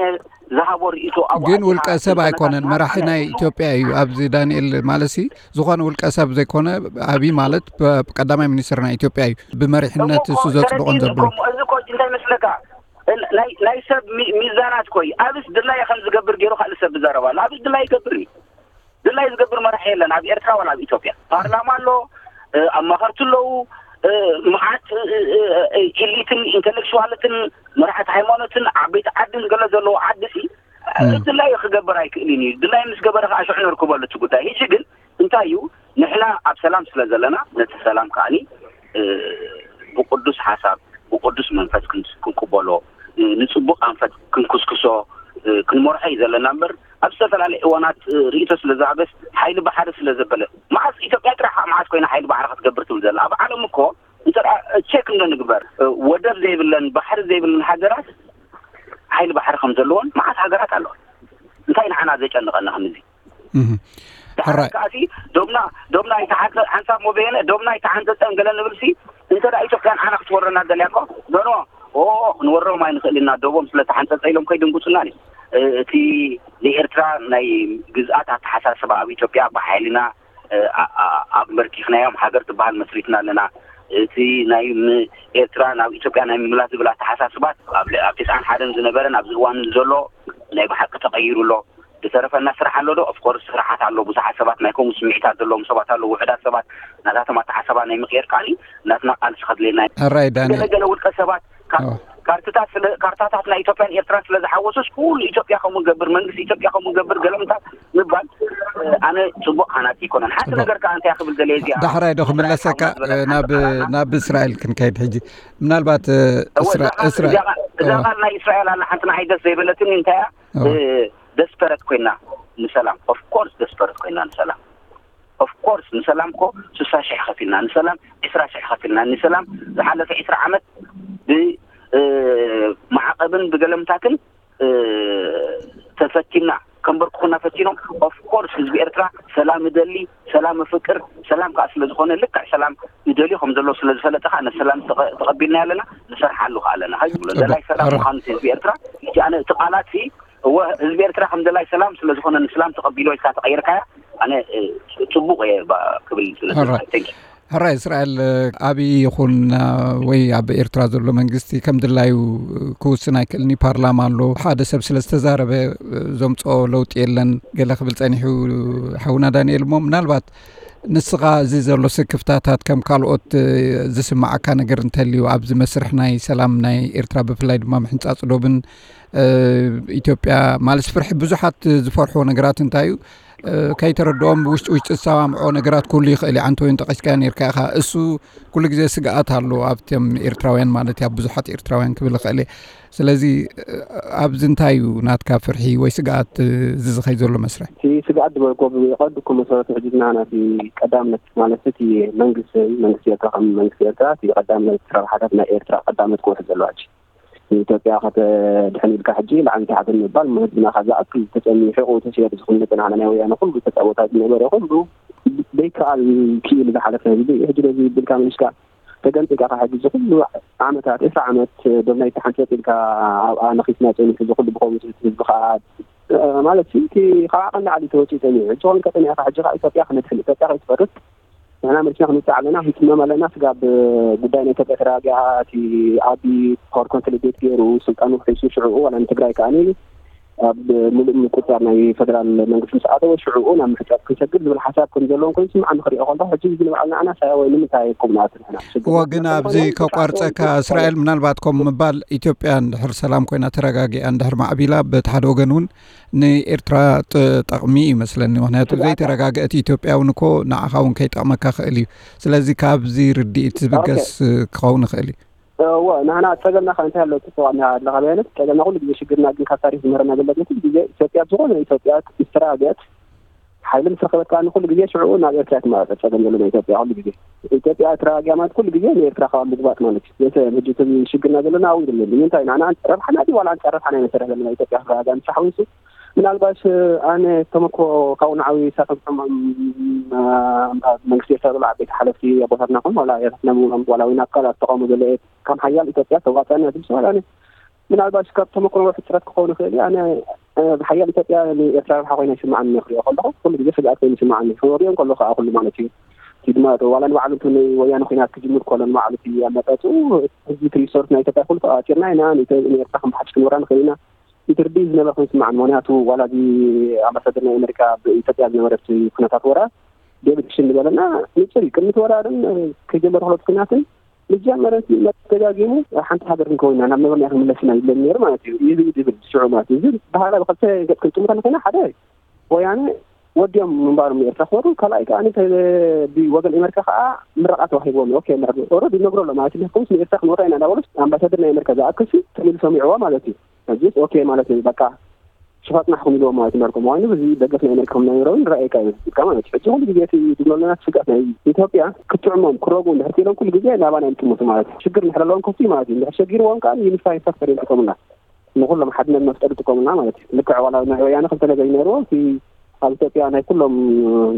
ዝሃቦ ርእይቶ ኣብኡ ግን ኣቲኻ ውልቀ ሰብ ኣይኮነን፣ መራሒ ናይ ኢትዮጵያ እዩ። ኣብዚ ዳንኤል ማለሲ ዝኾነ ውልቀ ሰብ ዘይኮነ፣ ኣብይ ማለት ብ-፣ ቀዳማይ ሚኒስትር ናይ ኢትዮጵያ እዩ። ብመሪሕነት እሞ እሱ ዘጽድቖን ተረዲእኒ ዘብሎ። እኮ፣ እዚ እኮ እንታይ መስለካ? እ፣ ናይ፣ ናይ ሰብ ሚ-፣ ሚዛናት እኮ እዩ። ኣብስ ድላየ ከም ዝገብር ገይሩ ካልእ ሰብ ዝዛረብ ኣሎ። ኣብስ ድላየ ይገብር እዩ። ድላየ ዝገብር መራሒ የለን ኣብ ኤርትራ ዋላ ኣብ ኢትዮጵያ። ፓርላማ ኣሎ፣ እ፣ ኣማኸርቲ ኣለዉ፣ እ፣ መዓት፣ እ፣ እ፣ እ፣ ኢሊትን ኢንተሌክቹዋልትን መራሕቲ ሃይማኖትን ዓበይቲ ዓድን ገለ ዘለዎ ዓዲ ሲ፣ እ። ድላየ ክገብር ኣይክእልን እዩ። ድላየ ምስ ገበረ ከዓ ሽዑ ነርክበሉ እቲ ጉዳይ። ሕጂ ግን እንታይ እዩ፣ ንሕና ኣብ ሰላም ስለ ዘለና፣ ነቲ ሰላም ከዓኒ፣ እ፣ ብቅዱስ ሓሳብ፣ ብቅዱስ መንፈስ ክን-፣ ክንቅበሎ፣ እ፣ ንጽቡቅ ኣንፈት ክንኩስክሶ፣ እ፣ ክንመርሖ እዩ ዘለና እምበር፣ ኣብ ዝተፈላለየ እዋናት፣ እ፣ ርእይቶ ስለ ዝሃበስ፣ ሓይሊ ባሕሪ ስለ ዘበለ፣ መዓስ ኢትዮጵያ ጥራሕ መዓስ ኮይና ሓይሊ ባሕሪ ክትገብር ትብል ዘላ? ኣብ ዓለም እኮ እንተ ደኣ ቸክ እንዶ ንግበር፣ እ፣ ወደብ ዘይብለን ባሕሪ ዘይብለን ሃገራት ሓይሊ ባሕሪ ከም ዘለዎን መዓት ሃገራት ኣለዋ። እንታይ ንዓና ዘጨንቐና ከምዚ? እህ። ድሓር ሕራይ። ከኣሲ ዶብና፣ ዶብና ኣይተሓንጸ-፣ ሓንሳብ ሞበየነ፣ ዶብና ኣይተሓንጸጸን ገለ ንብልሲ፣ እንተ ደኣ ኢትዮጵያ ንዓና ክትወረና ደልያ እኮ፣ ኖ፣ ኖ፣ ኦ፣ ክንወሮም ኣይንኽእል ኢና፣ ዶቦም ስለ ተሓንጸጸ ኢሎም ከይድንጉጹና እዩ። እ፣ እቲ ንኤርትራ ናይ ግዝኣት ኣተሓሳስባ ኣብ ኢትዮጵያ ብሓይልና፣ እ፣ ኣ-፣ ኣ-፣ ኣንበርኪኽናዮም ሃገር ትበሃል መስሪትና ኣለና። እቲ ናይ ም-፣ ኤርትራ ናብ ኢትዮጵያ ናይ ምምላስ ዝብል ኣተሓሳስባት ኣብ ል-፣ ኣብ ትስዓን ሓደን ዝነበረን ኣብዚ እዋን ዘሎ ናይ ብሓቂ ተቐይሩ ኣሎ። ዝተረፈና ስራሕ ኣሎ ዶ? ኦፍኮርስ ስራሓት ኣሎ። ብዙሓት ሰባት ናይ ከምኡ ስምዒታት ዘለዎም ሰባት ኣለዉ። ውሑዳት ሰባት ናታቶም ኣተሓሳባ ናይ ምቕየር ከኣኒ ናትና ቃልሲ ከድልየና እዩ። ሕራይ ዳኒ። ገለ ገለ ውልቀ ሰባት ካ-፣ ኦ። ካርትታት ስለ፣ ካርታታት ናይ ኢትዮጵያን ኤርትራን ስለ ዝሓወሱስ ኩሉ ኢትዮጵያ ከምኡ ገብር፣ መንግስቲ ኢትዮጵያ ከምኡ ገብር፣ ገለምታት ምባል፣ እ፣ ኣነ ጽቡቕ ሃናጺ ኣይኮነን። ሓንቲ ጽቡቕ። ነገር ከኣ እንታይ ክብል ደልየ እዚኣ ዳሕራይ ዶ ክምለሰካ፣ ሓውና ዝበለካ ናብ፣ ሓንቲ ቃል ኣላ። ናብ እስራኤል ክንከይድ ሕጂ። ምናልባት፣ እ፣ እወ፣ እስራ-፣ እዛ ቃል እስራኤል፣ እዚኣ ቃል፣ እዛ እወ። ቃል ናይ እስራኤል ኣላ ሓንቲ ንዓይ ደስ ዘይበለትኒ እንታይ እያ? እወ። እ፣ ደስፐረት ኮይና ንሰላም። ኦፍ ኮርስ ደስፐረት ኮይና ንሰላም። ኦፍ ኮርስ ንሰላም እኮ ስሳ ሽሕ ከፊልና፣ ንሰላም ዕስራ ሽሕ ከፊልና፣ ንሰላም ዝሓለፈ ዕስራ ዓመት ብ-፣ እ፣ ማዕቐብን ብገለምታትን፣ እ፣ ተፈቲንና፣ ከንበርክኹና ፈቲኖም። ኦፍ ኮርስ ህዝቢ ኤርትራ ሰላም እደሊ፣ ሰላም እፍቅር፣ ሰላም ከኣ ስለ ዝኾነ ልክዕ ሰላም እደልዮ ከም ዘሎ ስለ ዝፈለጠ ከኣ ነቲ ሰላም ተቐ-፣ ተቐቢልናዮ ኣለና፣ ንሰርሓሉ ከኣ ኣለና። ሃይ ዝብሎ፣ ጽቡቅ። ደላይ ሰላም ሕራ። ምዃኑ እቲ ህዝቢ ኤርትራ፣ ሕጂ ኣነ እቲ ቃላት ሲ፣ እወ፣ ህዝቢ ኤርትራ ከም ደላይ ሰላም ስለ ዝኾነ ንሰላም ተቐቢሎ ኢልካ ተቐይርካያ፣ ኣነ፣ እ፣ ጽቡቕ እየ ባ-፣ ክብል ስለ ሕራ። ዝደሊ። Thank you። ሕራይ እስራኤል፣ እ፣ ኣብይ ይኹን፣ እ፣ ወይ ኣብ ኤርትራ ዘሎ መንግስቲ ከም ድላዩ፣ እ፣ ክውስን ኣይክእልን እዩ። ፓርላማ ኣሎ። ሓደ ሰብ ስለ ዝተዛረበ፣ እ፣ ዘምጽኦ ለውጢ የለን። ገለ ክብል ጸኒሑ ሓውና ዳንኤል እሞ ምናልባት ንስኻ እዚ ዘሎ ስክፍታታት ከም ካልኦት ዝስማዓካ ነገር እንተልዩ ኣብዚ መስርሕ ናይ ሰላም ናይ ኤርትራ ብፍላይ ድማ ምሕንፃፅ ዶብን ኢትዮጵያ ማለት ፍርሒ ብዙሓት ዝፈርሕዎ ነገራት እንታይ እዩ? ከይተረድኦም ብውሽጢ ውሽጢ ዝሰማምዖ ነገራት ኩሉ ይኽእል እዩ። ዓንተ ወይን ጠቂስካዮ ነርካ ኢኻ። እሱ ኩሉ ግዜ ስግኣት ኣሎ ኣብቶም ኤርትራውያን ማለት ኣብ ብዙሓት ኤርትራውያን ክብል ይኽእል እየ። ስለዚ ኣብዚ እንታይ እዩ ናትካ ፍርሒ ወይ ስግኣት እዚ ዝኸይ ዘሎ መስርሕ? እቲ ስግኣት ዝበልኮ ብቐንዱ እኮ መሰረቱ ሕጂ ንሕና እቲ ቀዳምነት ማለት እቲ መንግስቲ መንግስቲ ኤርትራ ከም መንግስቲ ኤርትራ እቲ ቀዳምነት ረብሓታት ናይ ኤርትራ ቀዳምነት ክውሕድ ዘለዋ ሕጂ ንኢትዮጵያ ከተድሕን ኢልካ ሕጂ ላዕሊ ታሕትን ምባል ህዝብና ካብ ዝኣክል ተፀሚሑ ተሲሩ ዝኽምጥ ንዓና ናይ ወያነ ኩሉ ተፃቦታት ዝነበረ ኩሉ ዘይከኣል ክኢሉ ዝሓለፈ ህዝቢ ሕጂ ነዚ ብልካ ምንሽካ ተገንጢልካ ካብ ሕጂ እዚ ኩሉ ዓመታት ዕስራ ዓመት ዶብ ናይ ተሓንፀፅ ኢልካ ኣብኣ ነኺስና ፀኒሑ እዚ ኩሉ ብኸምኡ ህዝቢ ከዓ ማለት እቲ ካብ ዓቐን ላዕሊ ተወፂኡ ፀኒሑ ሕጂ ኮን ከጠኒዕካ ሕጂ ከዓ ኢትዮጵያ ክነድሕን ኢትዮጵያ ከይትፈርስ ንሕና መሊስና ክንውፅእ ኣለና፣ ክንፅመም ኣለና። ስጋብ ጉዳይ ናይ ኢትዮጵያ ተረጋጊኣ እቲ ኣቢ ፓወር ኮንሶሊዴት ገይሩ ስልጣኑ ሒሱ ሽዕኡ ዋላ ንትግራይ ከኣ ኣብ ምሉእ ምቁፃር ናይ ፈደራል መንግስቲ ምስ ኣተወ ሽዕኡ ናብ ምሕፃብ ክንሰግር ዝብል ሓሳብ ከም ዘለዎም ኮይኑ ስምዓ ንክሪኦ ከለኹ ሕጂ እዚ ንባዕልና ኣና ሳያ ወይ ንምንታይ ቁም ናት ንሕና እዎ ግን ኣብዚ ከቋርፀካ እስራኤል ምናልባት ከም ምባል ኢትዮጵያ እንድሕር ሰላም ኮይና ተረጋጊኣ እንድሕር ማዕቢላ በቲ ሓደ ወገን እውን ንኤርትራ ጠቕሚ እዩ መስለኒ። ምክንያቱ ዘይተረጋገአት ኢትዮጵያ እውን እኮ ንዓኻ እውን ከይጠቕመካ ክእል እዩ። ስለዚ ካብዚ ርድኢት ዝብገስ ክኸውን ይኽእል እዩ። እወ ንሕና ጸገምና ከ እንታይ ኣሎ? ጽቡቕ ኣለኻ በያነት ጸገምና ኩሉ ግዜ ሽግርና ግን ካብ ታሪኽ ዝምህረና ዘሎ ግን ኩሉ ግዜ ኢትዮጵያ ዝኾነ ኢትዮጵያ ምስ ተረጋገአት ሓይሊ ምስ ረኸበት ከኣ ኩሉ ግዜ ሽዑ ናብ ኤርትራ ትመራጸ ጸገም ዘሎ ናይ ኢትዮጵያ ኩሉ ግዜ ኢትዮጵያ ተረጋጊኣ ማለት ኩሉ ግዜ ንኤርትራ ካብ ምግባጥ ማለት እዩ። ዘተ ሕጂ እቲ ሽግርና ዘለና ኣብኡ ይደለሉ ንምንታይ ንሕና ረብሓና ድዩ ዋላ ኣንጻር ረብሓና ኢና ንሰርሕ ዘለና ኢትዮጵያ ክረጋጋእ ምስ ሓዊሱ ምናልባት ኣነ ተመክሮ ካብኡ ንዓዊ ሳቶም ሕማም መንግስቲ ኤርትራ ዘሎ ዓበይቲ ሓለፍቲ ኣቦታትና ኹን ዋላ ኤርትራና ምኖም ዋላ ወይ ናብ ካልኣት ተቃውሞ ዘሎ እየ ከም ሓያል ኢትዮጵያ ተዋፀና ዝብል ሰዋል ኣነ ምናልባት ካብ ተመክሮ ሕፅረት ክኸውን ይኽእል እዩ ኣነ ብሓያል ኢትዮጵያ ንኤርትራ ረብሓ ኮይና ይስምዓኒ ክሪኦ ከለኹ ኩሉ ግዜ ስግኣት ኮይኑ ይስምዓኒ ክወሪኦም ከሎ ከዓ ኩሉ ማለት እዩ እቲ ድማ ዋላ ንባዕሉ እቲ ናይ ወያነ ኩናት ክጅምር ከሎ ንባዕሉ እቲ ኣመጣፅኡ ህዝቢ እቲ ሪሶርስ ናይ ኢትዮጵያ ኩሉ ተቃፂርና ኢና ንኤርትራ ከም ሓድሽ ክንወራ ንኽእል ኢና ኢትርዲ ዝነበረ ኮይኑ ስማዓን ምክንያቱ ዋላ እዚ ኣምባሳደር ናይ ኣሜሪካ ብኢትዮጵያ ዝነበረ እቲ ኩነታት ወራ ዴቪድ ሽን ዝበለና ንፅር እዩ ቅድሚ ተወራርን ከይጀመረ ክሎት ኩናትን መጀመረ መተጋጊሙ ሓንቲ ሃገር ክንከውን ኢና ናብ ነበርና ክንምለስ ኢና ይብለኒ ነይሩ ማለት እዩ እዚ ዝብል ሽዑ ማለት እዩ እዚ ባህላ ብክልተ ገፅ ክንጥምታ ንኮይና ሓደ ወያነ ወዲኦም ምንባሮም ንኤርትራ ክወሩ ካልኣይ ከዓ ብወገን ኤመርካ ከዓ ምረቃ ተዋሂቦም ኦኬ ኦረዲ ይነግሮ ኣሎ ማለት እዩ ከምስ ንኤርትራ ክንወራ ኢና እንዳበሉስ ኣምባሳደር ናይ ኤመርካ ዝኣክልሲ ተሚሉ ሰሚዕዎ ማለት እዩ ሕጂስ ኦኬ ማለት እዩ በቃ ሽፋጥ ናሕኩም ኢልዎም ማለት እዩ ነርኩም ዋይኑ እዚ ደገፍ ናይ ኣሜሪካ ከም ናይሮ እውን ረኣየካ እዩ ዝብልካ ማለት እዩ ሕጂ ኩሉ ግዜ እቲ ዝብሎ ዘለና ስጋት ናይ ኢትዮጵያ ክትዕሞም ክረጉ እንድሕር ክኢሎም ኩሉ ግዜ ናባና እዮም ጥሙቱ ማለት እዩ ሽግር እንድሕር ኣለዎም ከፍቱ ማለት እዩ እንድሕር ሸጊርዎም ከዓ ዩኒፋይ ፋክተር እዮም ጥቆምና ንኩሎም ሓድነት መፍጠር ይጥቀሙና ማለት እዩ ልክዕ ዋላ ናይ ወያነ ክልተ ነገር ይነርዎ እቲ ኣብ ኢትዮጵያ ናይ ኩሎም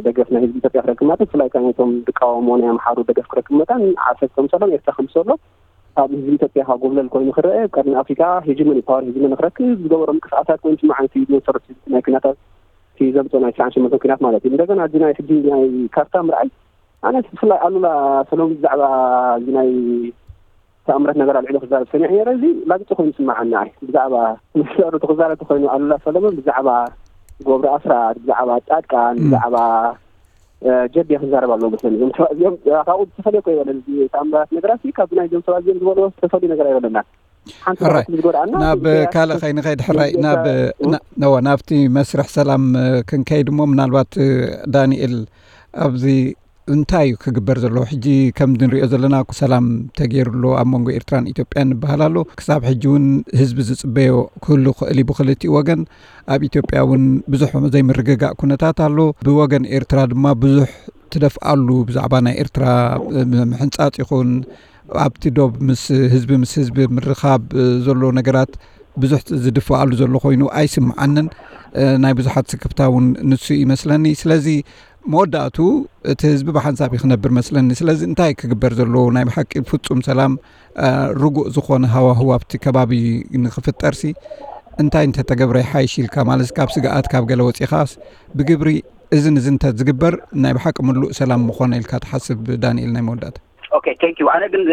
ደገፍ ናይ ህዝቢ ኢትዮጵያ ክረክብ መጠን ብፍላይ ከዓ ነቶም ዝቃወሞ ናይ ኣምሓሩ ደገፍ ክረክብ መጠን ዓሰርተ ምሰሎም ኤርትራ ከምሰሎ ኣብ ህዝቢ ኢትዮጵያ ካብ ጎብለል ኮይኑ ክረአ ቀርኒ ኣፍሪካ ሄጅመኒ ፓወር ሄጅመኒ ክረክብ ዝገበሮ ምንቅስቃሳት ኮይኑ ስማዕ ነቲ ዝመሰረት ናይ ኩናታት እቲ ዘምፅኦ ናይ ስራን ሽመንተን ኩናት ማለት እዩ እንደገና እዚ ናይ ሕጂ ናይ ካርታ ምርኣይ ኣነ ብፍላይ ኣሉላ ሰሎም ብዛዕባ እዚ ናይ ተኣምረት ነገር ኣልዒሉ ክዛረብ ሰሚዐ ነረ እዚ ላግፂ ኮይኑ ስማዓኒ ኣይ ብዛዕባ ምስሩ ክዛረብ ተኮይኑ ኣሉላ ሰለሞን ብዛዕባ ጎብሪ ኣስራት ብዛዕባ ጻድቃን ብዛዕባ ጀድ ክዛረብ ኣለዎ መስለኒ እዞም ሰባት እዚኦም ካብኡ ዝተፈለየ ኮ ይበለ ተኣምራት ነገራት ካብ ናይ ዞም ሰባት እዚኦም ዝበልዎ ዝተፈለዩ ነገር ኣይበለና ሓንቲ ሕራይ ዝጎድኣና ናብ ካልእ ከይንኸይድ ሕራይ ናብ ናብቲ መስርሕ ሰላም ክንከይድ እሞ ምናልባት ዳንኤል ኣብዚ እንታይ እዩ ክግበር ዘለዎ ሕጂ ከም ንሪኦ ዘለና ሰላም ተገይሩ ኣሎ ኣብ መንጎ ኤርትራን ኢትዮጵያን ይበሃል ኣሎ ክሳብ ሕጂ እውን ህዝቢ ዝፅበዮ ክህሉ ክእል እዩ ብክልቲኡ ወገን ኣብ ኢትዮጵያ እውን ብዙሕ ዘይምርግጋእ ኩነታት ኣሎ ብወገን ኤርትራ ድማ ብዙሕ ትደፍኣሉ ብዛዕባ ናይ ኤርትራ ምሕንፃፅ ይኹን ኣብቲ ዶብ ምስ ህዝቢ ምስ ህዝቢ ምርኻብ ዘሎ ነገራት ብዙሕ ዝድፍኣሉ ዘሎ ኮይኑ ኣይስምዓንን ናይ ብዙሓት ስክፍታ እውን ንሱ ይመስለኒ ስለዚ መወዳእቱ እቲ ህዝቢ ብሓንሳብ ክነብር መስለኒ ስለዚ እንታይ ክግበር ዘለዎ ናይ ብሓቂ ፍፁም ሰላም ርጉእ ዝኾነ ሃዋህው ኣብቲ ከባቢ ንክፍጠርሲ እንታይ እንተተገብረ ይሓይሽ ኢልካ ማለት ካብ ስግኣት ካብ ገለ ወፂኻስ ብግብሪ እዝን እዚ እንተ ዝግበር ናይ ብሓቂ ምሉእ ሰላም ምኾነ ኢልካ ትሓስብ ዳንኤል ናይ መወዳእታ ኦኬ ቴንክ ዩ ኣነ ግን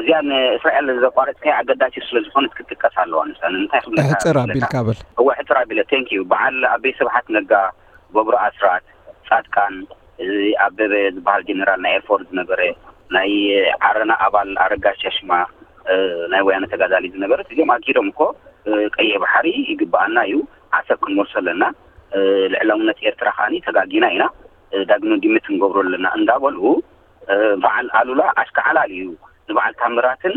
እዚኣ ንእስራኤል ዘቋረፅካያ ኣገዳሲ ስለ ዝኾነት ክትጥቀስ ኣለዋ ንሳ እንታይ ክብለካ ሕፅር ኣቢልካ በል እወ ሕፅር ኣቢለ ቴንክ ዩ በዓል ኣበይ ስብሓት ነጋ ገብሩ ኣስራት ፃድቃን እዚ ኣበበ ዝበሃል ጀነራል ናይ ኤርፎርስ ዝነበረ፣ ናይ ዓረና ኣባል ኣረጋ ሸሽማ፣ ናይ ወያነ ተጋዳሊ ዝነበረ፣ እዚኦም ኣኪዶም እኮ ቀይሕ ባሕሪ ይግባኣና እዩ፣ ዓሰብ ክንመልሶ ኣለና፣ ልዕላውነት ኤርትራ ከዓኒ ተጋጊና ኢና፣ ዳግመ ግምት ክንገብሮ ኣለና እንዳበሉ፣ በዓል ኣሉላ ኣሽካዕላል እዩ ንበዓል ታምራትን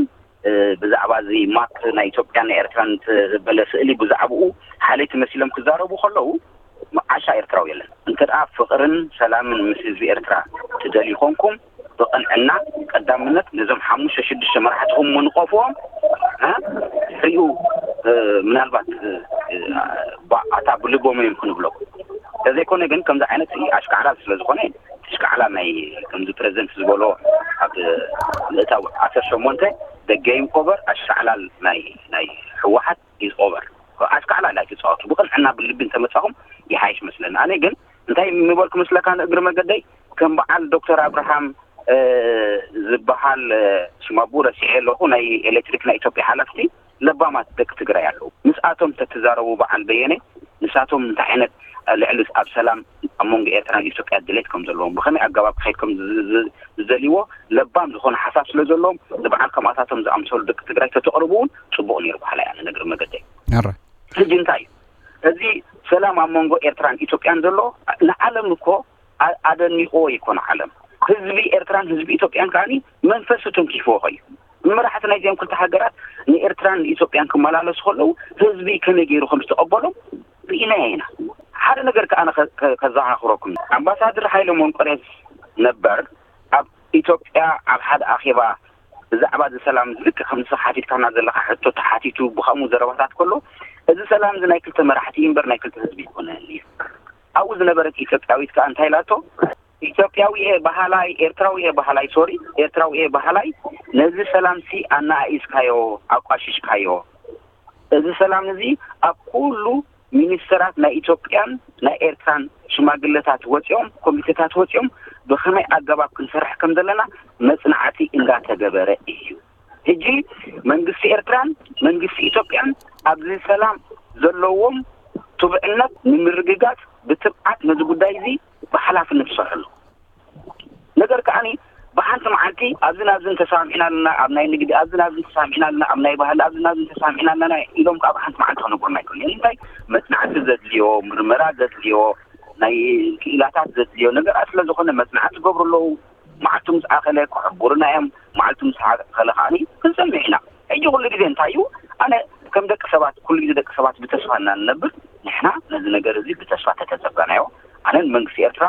ብዛዕባ እዚ ማፕ ናይ ኢትዮጵያን ናይ ኤርትራን ዘበለ ስእሊ ብዛዕባኡ ሓለይቲ መሲሎም ክዛረቡ ከለዉ፣ ዓሻ ኤርትራዊ የለን። እንተ ደኣ ፍቕርን ሰላምን ምስ ህዝቢ ኤርትራ ትደልዩ ኮንኩም፣ ብቕንዕና ቀዳምነት ነዞም ሓሙሽተ ሽዱሽተ መራሕትኹም ምንቐፍዎም፣ እ፣ ድሕሪኡ፣ እ፣ ምናልባት፣ እ፣ እ፣ ባ-፣ ኣታ ብልቦም እዮም ክንብሎም። እንተዘይኮነ ግን ከምዚ ዓይነት ኣሽካዕላል ስለ ዝኾነ፣ ኣሽካዕላል ናይ ከምዚ ፕረዚደንት ዝበሎ ኣብ ምእታው ዓሰርተ ሸሞንተ ደገ ይንቆበር ኣሽካዕላል ናይ፣ ናይ ህወሓት ይዝቆበር። ኣሽካዕላል ኣይትጻወቱ። ብቕንዕና ብልቢ እንተመጻኹም ይሓይሽ መስለኒ። ኣነ ግን እንታይ ምበልኩ መስለካ ንእግሪ መገደይ? ከም በዓል ዶክተር ኣብርሃም፣ እ፣ ዝበሃል፣ እ፣ ሽም ኣቦኡ ረሲዐ ኣለኹ፣ ናይ ኤሌክትሪክ ናይ ኢትዮጵያ ሓላፍቲ ለባማት ደቂ ትግራይ ኣለዉ። ምስኣቶም ተትዛረቡ በዓል በየነ፣ ንሳቶም እንታይ ዓይነት፣ እ፣ ልዕሊ ኣብ ሰላም ኣብ መንጎ ኤርትራን ኢትዮጵያ ድሌት ከም ዘለዎም፣ ብኸመይ ኣገባብ ክኸይድ ከም ዝ-፣ ዝ-፣ ዝደልይዎ ለባም ዝኾነ ሓሳብ ስለ ዘለዎም፣ ንበዓል ከምኣታቶም ዝኣምሰሉ ደቂ ትግራይ ተተቕርቡ እውን ጽቡቕ ነይሩ በሃላይ ኣነ ንእግሪ መገደይ። ሕራይ። ሕጂ እንታይ እዩ? እዚ ሰላም ኣብ መንጎ ኤርትራን ኢትዮጵያን ዘሎ ንዓለም እኮ ኣ-፣ ኣደኒቕዎ ይኮነ ዓለም። ህዝቢ ኤርትራን ህዝቢ ኢትዮጵያን ከዓኒ መንፈሱ ተንኪፍዎ ኸዩ። መራሕቲ ናይዚኦም ክልተ ሃገራት ንኤርትራን ንኢትዮጵያን ክመላለሱ ከለዉ ህዝቢ ከመይ ገይሩ ከም ዝተቐበሎም ርኢናዮ ኢና። ሓደ ነገር ከኣ ኣነ ከ-፣ ከ-፣ ከዘኻኽረኩም። ኣምባሳደር ሃይለ መንቆርዮስ ነበር ኣብ ኢትዮጵያ ኣብ ሓደ ኣኼባ ብዛዕባ እዚ ሰላም ልክዕ ከምዚ ሓቲትካና ዘለኻ ሕቶ ተሓቲቱ ብኸምኡ ዘረባታት ከሎ፣ እዚ ሰላም እዚ ናይ ክልተ መራሕቲ እዩ እምበር ናይ ክልተ ህዝቢ ኣይኮነን እዩ። ኣብኡ ዝነበረት ኢትዮጵያዊት ከኣ እንታይ ኢላቶ? ኢትዮጵያዊ እየ በሃላይ፣ ኤርትራዊ እየ በሃላይ፣ ሶሪ፣ ኤርትራዊ እየ በሃላይ፣ ነዚ ሰላምሲ ኣነኣኢስካዮ፣ ኣቋሽሽካዮ። እዚ ሰላም እዚ ኣብ ኩሉ ሚኒስተራት ናይ ኢትዮጵያን ናይ ኤርትራን ሽማግለታት ወጺኦም፣ ኮሚቴታት ወጺኦም፣ ብኸመይ ኣገባብ ክንሰርሕ ከም ዘለና መጽናዕቲ እንዳተገበረ እዩ። ሕጂ መንግስቲ ኤርትራን መንግስቲ ኢትዮጵያን ኣብዚ ሰላም ዘለዎም ትብዕነት ንምርግጋጽ ብትብዓት ነዚ ጉዳይ እዚ ብሓላፍነት ይሰርሑ ኣለዉ። ነገር ከዓኒ ብሓንቲ መዓልቲ ኣብዚ ናብዚ እንተሰማሚዕና ኣለና፣ ኣብ ናይ ንግዲ ኣብዚ ናብዚ እንተሰማሚዕና ኣለና፣ ኣብ ናይ ባህሊ ኣብዚ ናብዚ እንተሰማሚዕና ኣለና ኢሎም ከዓ ብሓንቲ መዓልቲ ክነግሩና ኣይክእሉን እዮም። እንታይ መጽናዕቲ ዘድልዮ፣ ምርመራ ዘድልዮ፣ ናይ ክኢላታት ዘድልዮ ነገራት ስለ ዝኾነ መጽናዕቲ ዝገብሩ ኣለዉ። መዓልቱ ምስ ኣኸለ ክሕብሩና እዮም። መዓልቱ ምስ ኣኸለ ከዓኒ ክንሰምዕ ኢና። ሕጂ ኩሉ ግዜ እንታይ እዩ? ኣነ ከም ደቂ ሰባት፣ ኩሉ ግዜ ደቂ ሰባት ብተስፋ ኢና ንነብር። ንሕና ነዚ ነገር እዚ ብተስፋ ተተጸበናዮ። ኣነ ንመንግስቲ ኤርትራ፣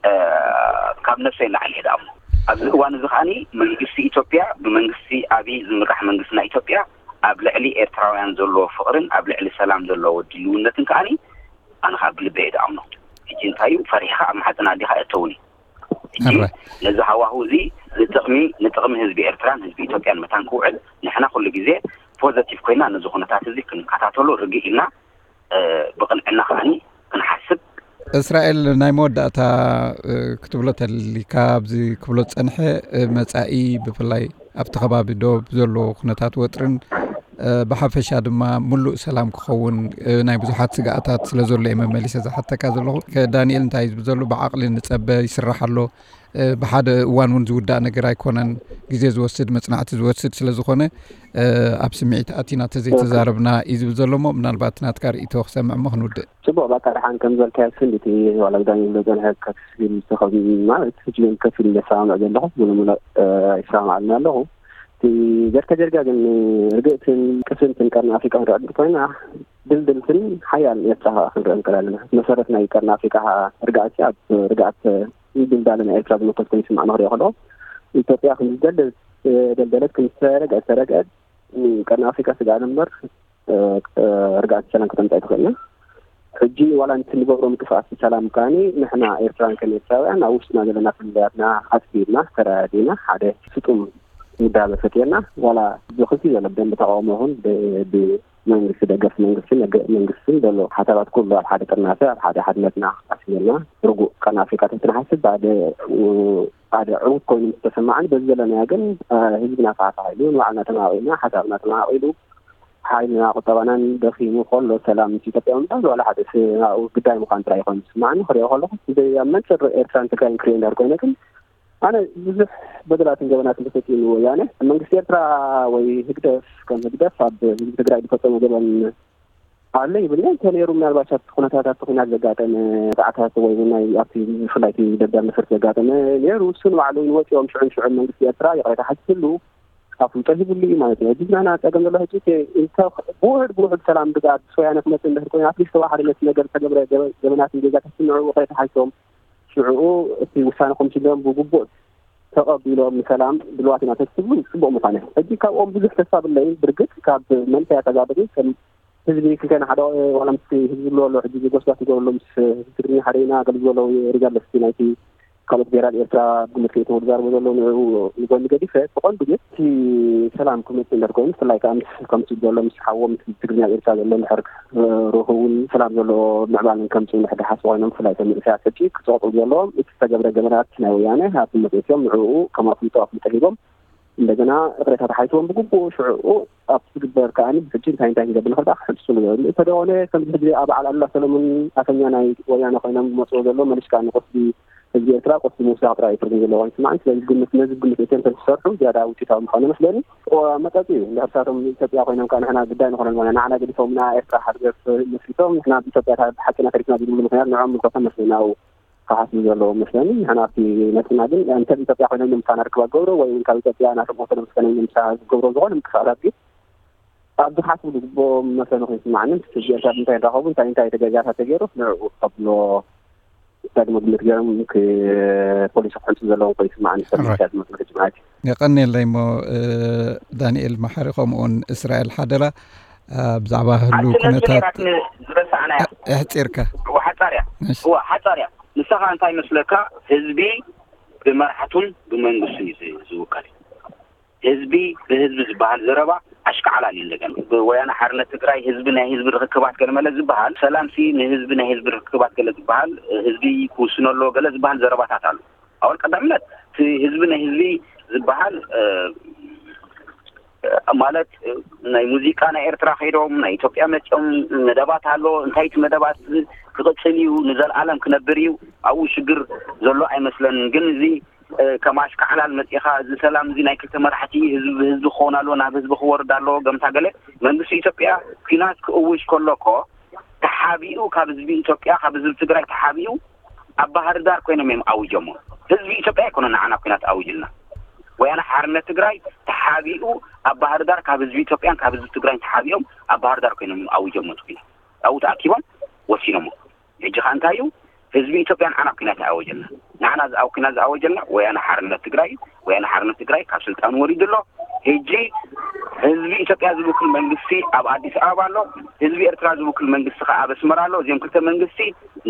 እ፣ ካብ ነብሰይ ንላዕሊ እየ ዝኣምኖ። ኣብዚ እዋን እዚ ከዓኒ መንግስቲ ኢትዮጵያ፣ ብመንግስቲ ኣብይ ዝምራሕ መንግስቲ ናይ ኢትዮጵያ ኣብ ልዕሊ ኤርትራውያን ዘለዎ ፍቕርን ኣብ ልዕሊ ሰላም ዘለዎ ድልውነትን ከዓኒ ኣነ ካብ ብልበይ እየ ዝኣምኖ። ሕጂ እንታይ እዩ? ፈሪሕኻ ኣብ ማሕፀን ኣዴኻ ኣየእተውን እዩ። ሕጂ ኣረ። ነዚ ሃዋሁ እዚ ንጥቕሚ፣ ንጥቕሚ ህዝቢ ኤርትራን ህዝቢ ኢትዮጵያን መታን ክውዕል ንሕና ኩሉ ግዜ ፖዘቲቭ ኮይና ነዚ ኩነታት እዚ ክንከታተሎ ርግእ ኢልና፣ እ፣ ብቕንዕና ከዓኒ ክንሓስብ። እስራኤል፣ ናይ መወዳእታ፣ እ፣ ክትብሎ ተልካ ኣብዚ ክብሎ ዝጸንሐ፣ እ፣ መጻኢ ብፍላይ ኣብቲ ከባቢ ዶብ ዘሎ ኩነታት ወጥርን፣ እ፣ ብሓፈሻ ድማ ምሉእ ሰላም ክኸውን፣ እ፣ ናይ ብዙሓት ስግኣታት ስለ ዘሎ እየ መመሊሰ ዝሓተካ ዘለኹ። ከዳንኤል እንታይ እዩ ዝብል ዘሎ? ብዓቕሊ ንጸበ፣ ይስራሕ ኣሎ። እ፣ ብሓደ እዋን እውን ዝውዳእ ነገር ኣይኮነን። ግዜ ዝወስድ፣ መጽናዕቲ ዝወስድ ስለ ዝኾነ፣ እ፣ ኣብ ስምዒት ኣቲና ተዘይተዛረብና እዩ ዝብል ዘሎ እሞ፣ ምናልባት ናትካ ርእይቶ ክሰምዕ እሞ ክንውድእ። ጽቡቕ፣ በቃ ደሓን ከም ዝበልካዮ ስንዲቲ ዋላ ብዳኒ ዝብሎ ጸንሐ ከፊል ዝተኸ-፣ ማለት ሕጂ እውን ከፊል ዘሰማምዕ ዘለኹ፣ ሙሉእ ሙሉእ፣ እ፣ ይሰማማዓልና ኣለኹ። እቲ ጀርካ ጀርካ ግን ርግእትን ቅስንትን ቀርኒ ኣፍሪቃ ክንርኢ እንተኾይና፣ ድልድልትን ሓያልን ኤርትራ ክንርኢ ንኽእል ኣለና። መሰረት ናይ ቀርኒ ኣፍሪቃ ርግኣት ኣብ ርግኣት ድልዳለ ናይ ኤርትራ ዝምልከት ኮይኑ ይስማዕ ንኽሪኦ ከለኹ፣ ኢትዮጵያ ከም ዝደለ-፣ ደልደለት፣ ከም ዝተረግዐት፣ ተረግዐት፣ ቀርኒ ኣፍሪቃ ስግኣት እምበር፣ እ፣ እ፣ ርግኣት ሰላም ከተምጽእ ኣይትኽእልን። ሕጂ ዋላ ነቲ ንገብሮ ምንቅስቃስ ሰላም ከኣኒ ንሕና ኤርትራውያን ከም ኤርትራውያን ኣብ ውሽጥና ዘለና ፍልልያትና ኣጽቢብና፣ ተረዳዲእና፣ ሓደ ስጡም ውዳበ ፈጢርና፣ ዋላ ብክልቲኡ ዘሎ ብደንቢ ተቃውሞ ይኹን ብ-፣ ብመንግስቲ ደገፍ መንግስትን ደገፍ መንግስትን ዘሎ ሓሳባት ኩሉ ኣብ ሓደ ጥርናፈ፣ ኣብ ሓደ ሓድነትና ኣስሚርና፣ ርጉእ ቀርኒ ኣፍሪካ ተትንሓስብ ብሓደ፣ ሓደ ዕዉት ኮይኑ ምስ ተሰማዓኒ፣ በዚ ዘለናዮ ግን፣ እ፣ ህዝብና ፋሕፋሕ ኢሉ፣ ንባዕልና ተማቒልና፣ ሓሳብና ተማቒሉ፣ ሓይልና ቁጠባናን ደኺሙ ከሎ ሰላም ምስ ኢትዮጵያ ምምፃእ ዝዋላ ሓደ ስ- ናብኡ ግዳይ ምዃን ጥራይ ይኾን ዝስማዓኒ። ክሪኦ ከለኹ ብዘይ ኣብ መንፅር ኤርትራን ትግራይን ክሪኦ እንዳር ኮይነ ግን ኣነ ብዙሕ በደላትን ገበናትን ተፈፂሙ ወያነ መንግስቲ ኤርትራ ወይ ህግደፍ ከም ህግደፍ ኣብ ህዝቢ ትግራይ ዝፈፀሞ ገበን ኣለ ይብል እንተ ነይሩ ምናልባት ኣብቲ ኩነታት ኣብቲ ኩናት ዘጋጠመ ጣዕታት ወይ እውን ናይ ኣብቲ ብፍላይ እቲ ደብዳብ ነፈርቲ ዘጋጠመ ነይሩ እሱ ንባዕሉ እውን ወፂኦም ሽዑን ሽዑን መንግስቲ ኤርትራ ይቕሬታ ሓቲትሉ ኣፍልጦ ሂብሉ እዩ ማለት እዩ። ሕጂ ናና ፀገም ዘሎ ሕጂ ብውሕድ ብውሕድ ሰላም ብዛዕባ ወያነ ክመፅእ እንድሕር ኮይኑ ኣትሊስት ተዋሓደ ነቲ ነገር ዝተገብረ ገበናትን ጌጋታት ንዕኡ ይቕሬታ ሓቲቶም ሽዕኡ እቲ ውሳነ ኮሚሽን ብግቡእ ተቐቢሎም ንሰላም ድልዋት ኢና ተትብሉ ፅቡቕ ምዃነ። ሕጂ ካብኦም ብዙሕ ተስፋ ብለይ ብርግፅ ካብ መንእሰያት ኣጋብሪ ከም ህዝቢ ክንከና ሓደ ዋላ ምስ ህዝቢ ዝብሎ ኣሎ ሕጂ ጎስጓስ ይገብርሉ ምስ ህዝቢ ትግርኛ ሓደ ኢና ገለ ዝበሎ ሪጋርለስ ናይቲ ካልኦት ብሄራት ኤርትራ ብመልክዕ ተወዳርቦ ዘሎ ንዕኡ ንጎኒ ገዲፈ ብቐንዱ ግን እቲ ሰላም ክመፅእ እንድሕር ኮይኑ ብፍላይ ከዓ ምስ ከምቲ ዘሎ ምስ ሓዎም ትግርኛ ኤርትራ ዘሎ እንድሕር ርክቡን ሰላም ዘለዎ ምዕባልን ከምፅኡ እንድሕር ዝሓስቡ ኮይኖም ብፍላይ እቶም መንእሰያት ሕጂ ክፀቕጡ ዘለዎም እቲ ዝተገብረ ገበናት ናይ ወያነ ኣብ ግምት ኣእትዮም ንዕኡ ከም ኣፍልጦ ኣፍልጦ ሂቦም እንደገና እቕሬታ ተሓይትዎም ብግቡእ ሽዕኡ ኣብ ዝግበር ከዓኒ ሕጂ እንታይ እንታይ ክንገብር ንኽእል ከዓ ክሕልሱሉ እዮም እንተደኾነ ከምዚ ሕጂ ኣብ በዓል ኣሉላ ሰለሙን ኣፈኛ ናይ ወያነ ኮይኖም ዝመፅዎ ዘሎ መሊሽ ከዓ ንቁስሊ ህዝቢ ኤርትራ ቁስሊ ምውሳኽ ጥራይ እዩ ትርጉም ዘለዎ ይስማዕን ስለዚ ግምት ነዚ ግምት እትዮም ተዝሰርሑ ዝያዳ ውፅኢታዊ ምዃኑ መስለኒ መጠጥ እዩ እንድሕር ሳቶም ኢትዮጵያ ኮይኖም ከዓ ንሕና ግዳይ ንኾነን ማለት ንዓና ገዲፎምና ኤርትራ ሃገር መስሪቶም ንሕና ኢትዮጵያ ብሓቂና ተሪፍና ዝብሉ ምክንያት ንዖም ምልከቶም መስለኒ ኣብኡ ክሓስቡ ዘለዎም መስለኒ ንሕና ኣብቲ ነጥብና ግን እንተ ኢትዮጵያ ኮይኖም ንምሳና ርክባ ገብሮ ወይ እውን ካብ ኢትዮጵያ ናቶም ወሰዶም ስከነ ንምሳ ዝገብሮ ዝኾነ ምንቅስቃሳት ግን ኣብዚ ክሓስቡ ዝግብኦም መስለኒ ኮይኑ ይስማዓኒ ህዝቢ ኤርትራ እንታይ እንዳኸቡ እንታይ እንታይ ተገዛታት ተገይሩ ንዕኡ ከብሎ ዳግመ ግምት ገይሮም ፖሊሲ ክሕልሱ ዘለዎም ኮይኑ ይስማዓኒ ሰብ ዳግመ ግምት ማለት እዩ የቐንየለይ እሞ ዳንኤል መሓሪ ከምኡውን እስራኤል ሓደራ ብዛዕባ ህሉ ኩነታት ዝረሳዕናያ ኣሕፂርካ ሓፃርያ ሓፃርያ ንስኻ እንታይ መስለካ ህዝቢ ብመራሕቱን ብመንግስቱን እዩ ዝውከል ህዝቢ ብህዝቢ ዝበሃል ዘረባ ኣሽካዕላል እዩ እንደገና ብወያነ ሓርነት ትግራይ ህዝቢ ናይ ህዝቢ ርክክባት ገለ መለ ዝበሃል ሰላምሲ ንህዝቢ ናይ ህዝቢ ርክክባት ገለ ዝበሃል ህዝቢ ክውስኖ ኣለዎ ገለ ዝበሃል ዘረባታት ኣሎ ኣወል ቀዳምነት ህዝቢ ናይ ህዝቢ ዝበሃል ማለት ናይ ሙዚቃ ናይ ኤርትራ ከይዶም ናይ ኢትዮጵያ መፅኦም መደባት ኣሎ እንታይ እቲ መደባት ክቕፅል እዩ ንዘለኣለም ክነብር እዩ ኣብኡ ሽግር ዘሎ ኣይመስለንን ግን እዚ ከም ኣሽካዕላል መፂኻ እዚ ሰላም እዚ ናይ ክልተ መራሕቲ ህዝቢ ብህዝቢ ክኸውን ኣለዎ ናብ ህዝቢ ክወርድ ኣለዎ ገምታ ገለ መንግስቲ ኢትዮጵያ ኲናት ክእውጅ ከሎ እኮ ተሓቢኡ ካብ ህዝቢ ኢትዮጵያ ካብ ህዝቢ ትግራይ ተሓቢኡ ኣብ ባህር ዳር ኮይኖም እዮም ኣውጀሞ ህዝቢ ኢትዮጵያ ኣይኮነ ንዓና ኲናት ኣውጅልና ወያነ ሓርነት ትግራይ ተሓቢኡ ኣብ ባህር ዳር ካብ ህዝቢ ኢትዮጵያን ካብ ህዝቢ ትግራይን ተሓቢኦም ኣብ ባህር ዳር ኮይኖም እዮም ኣውጀሞ እቲ ኲናት ኣብኡ ተኣኪቦም ወሲኖሞ ሕጂ ከዓ እንታይ እዩ ህዝቢ ኢትዮጵያ ንዓና ኲናት ኣወጀልና ንዓና ዝኣው ኲናት ዝኣወጀልና ወያነ ሓርነት ትግራይ እዩ ወያነ ሓርነት ትግራይ ካብ ስልጣን ወሪዱ ኣሎ ሕጂ ህዝቢ ኢትዮጵያ ዝውክል መንግስቲ ኣብ ኣዲስ ኣበባ ኣሎ ህዝቢ ኤርትራ ዝውክል መንግስቲ ከዓ ኣብ ኣስመራ ኣሎ እዚኦም ክልተ መንግስቲ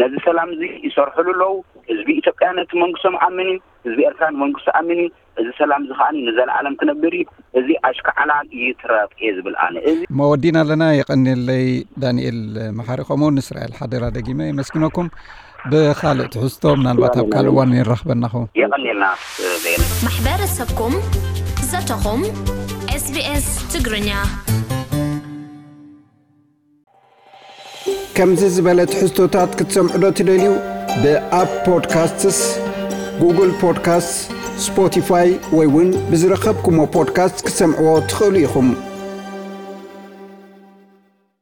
ነዚ ሰላም እዚ ይሰርሕሉ ኣለዉ ህዝቢ ኢትዮጵያ ነቲ መንግስቶም ኣምን እዩ ህዝቢ ኤርትራ ንመንግስቱ ኣምን እዩ እዚ ሰላም እዚ ከዓ ንዘለኣለም ክነብር እዩ እዚ ኣሽካዕላል ይትረፍ እየ ዝብል ኣነ እዚ መወዲና ኣለና የቐንየለይ ዳንኤል መሓሪ ከምኡ ንእስራኤል ሓደራ ደጊመ የመስግነኩም ብካልእ ትሕዝቶ ምናልባት ኣብ ካልእ እዋን ይራኽበና ኸውን የቐንየልና በየነ ማሕበረሰብኩም ዘተኹም ኤስቢኤስ ትግርኛ ከምዚ ዝበለ ትሕዝቶታት ክትሰምዑ ዶ ትደልዩ? ብኣፕ ፖድካስትስ፣ ጉግል ፖድካስትስ፣ ስፖቲፋይ ወይ እውን ብዝረኸብኩሞ ፖድካስት ክትሰምዕዎ ትኽእሉ ኢኹም።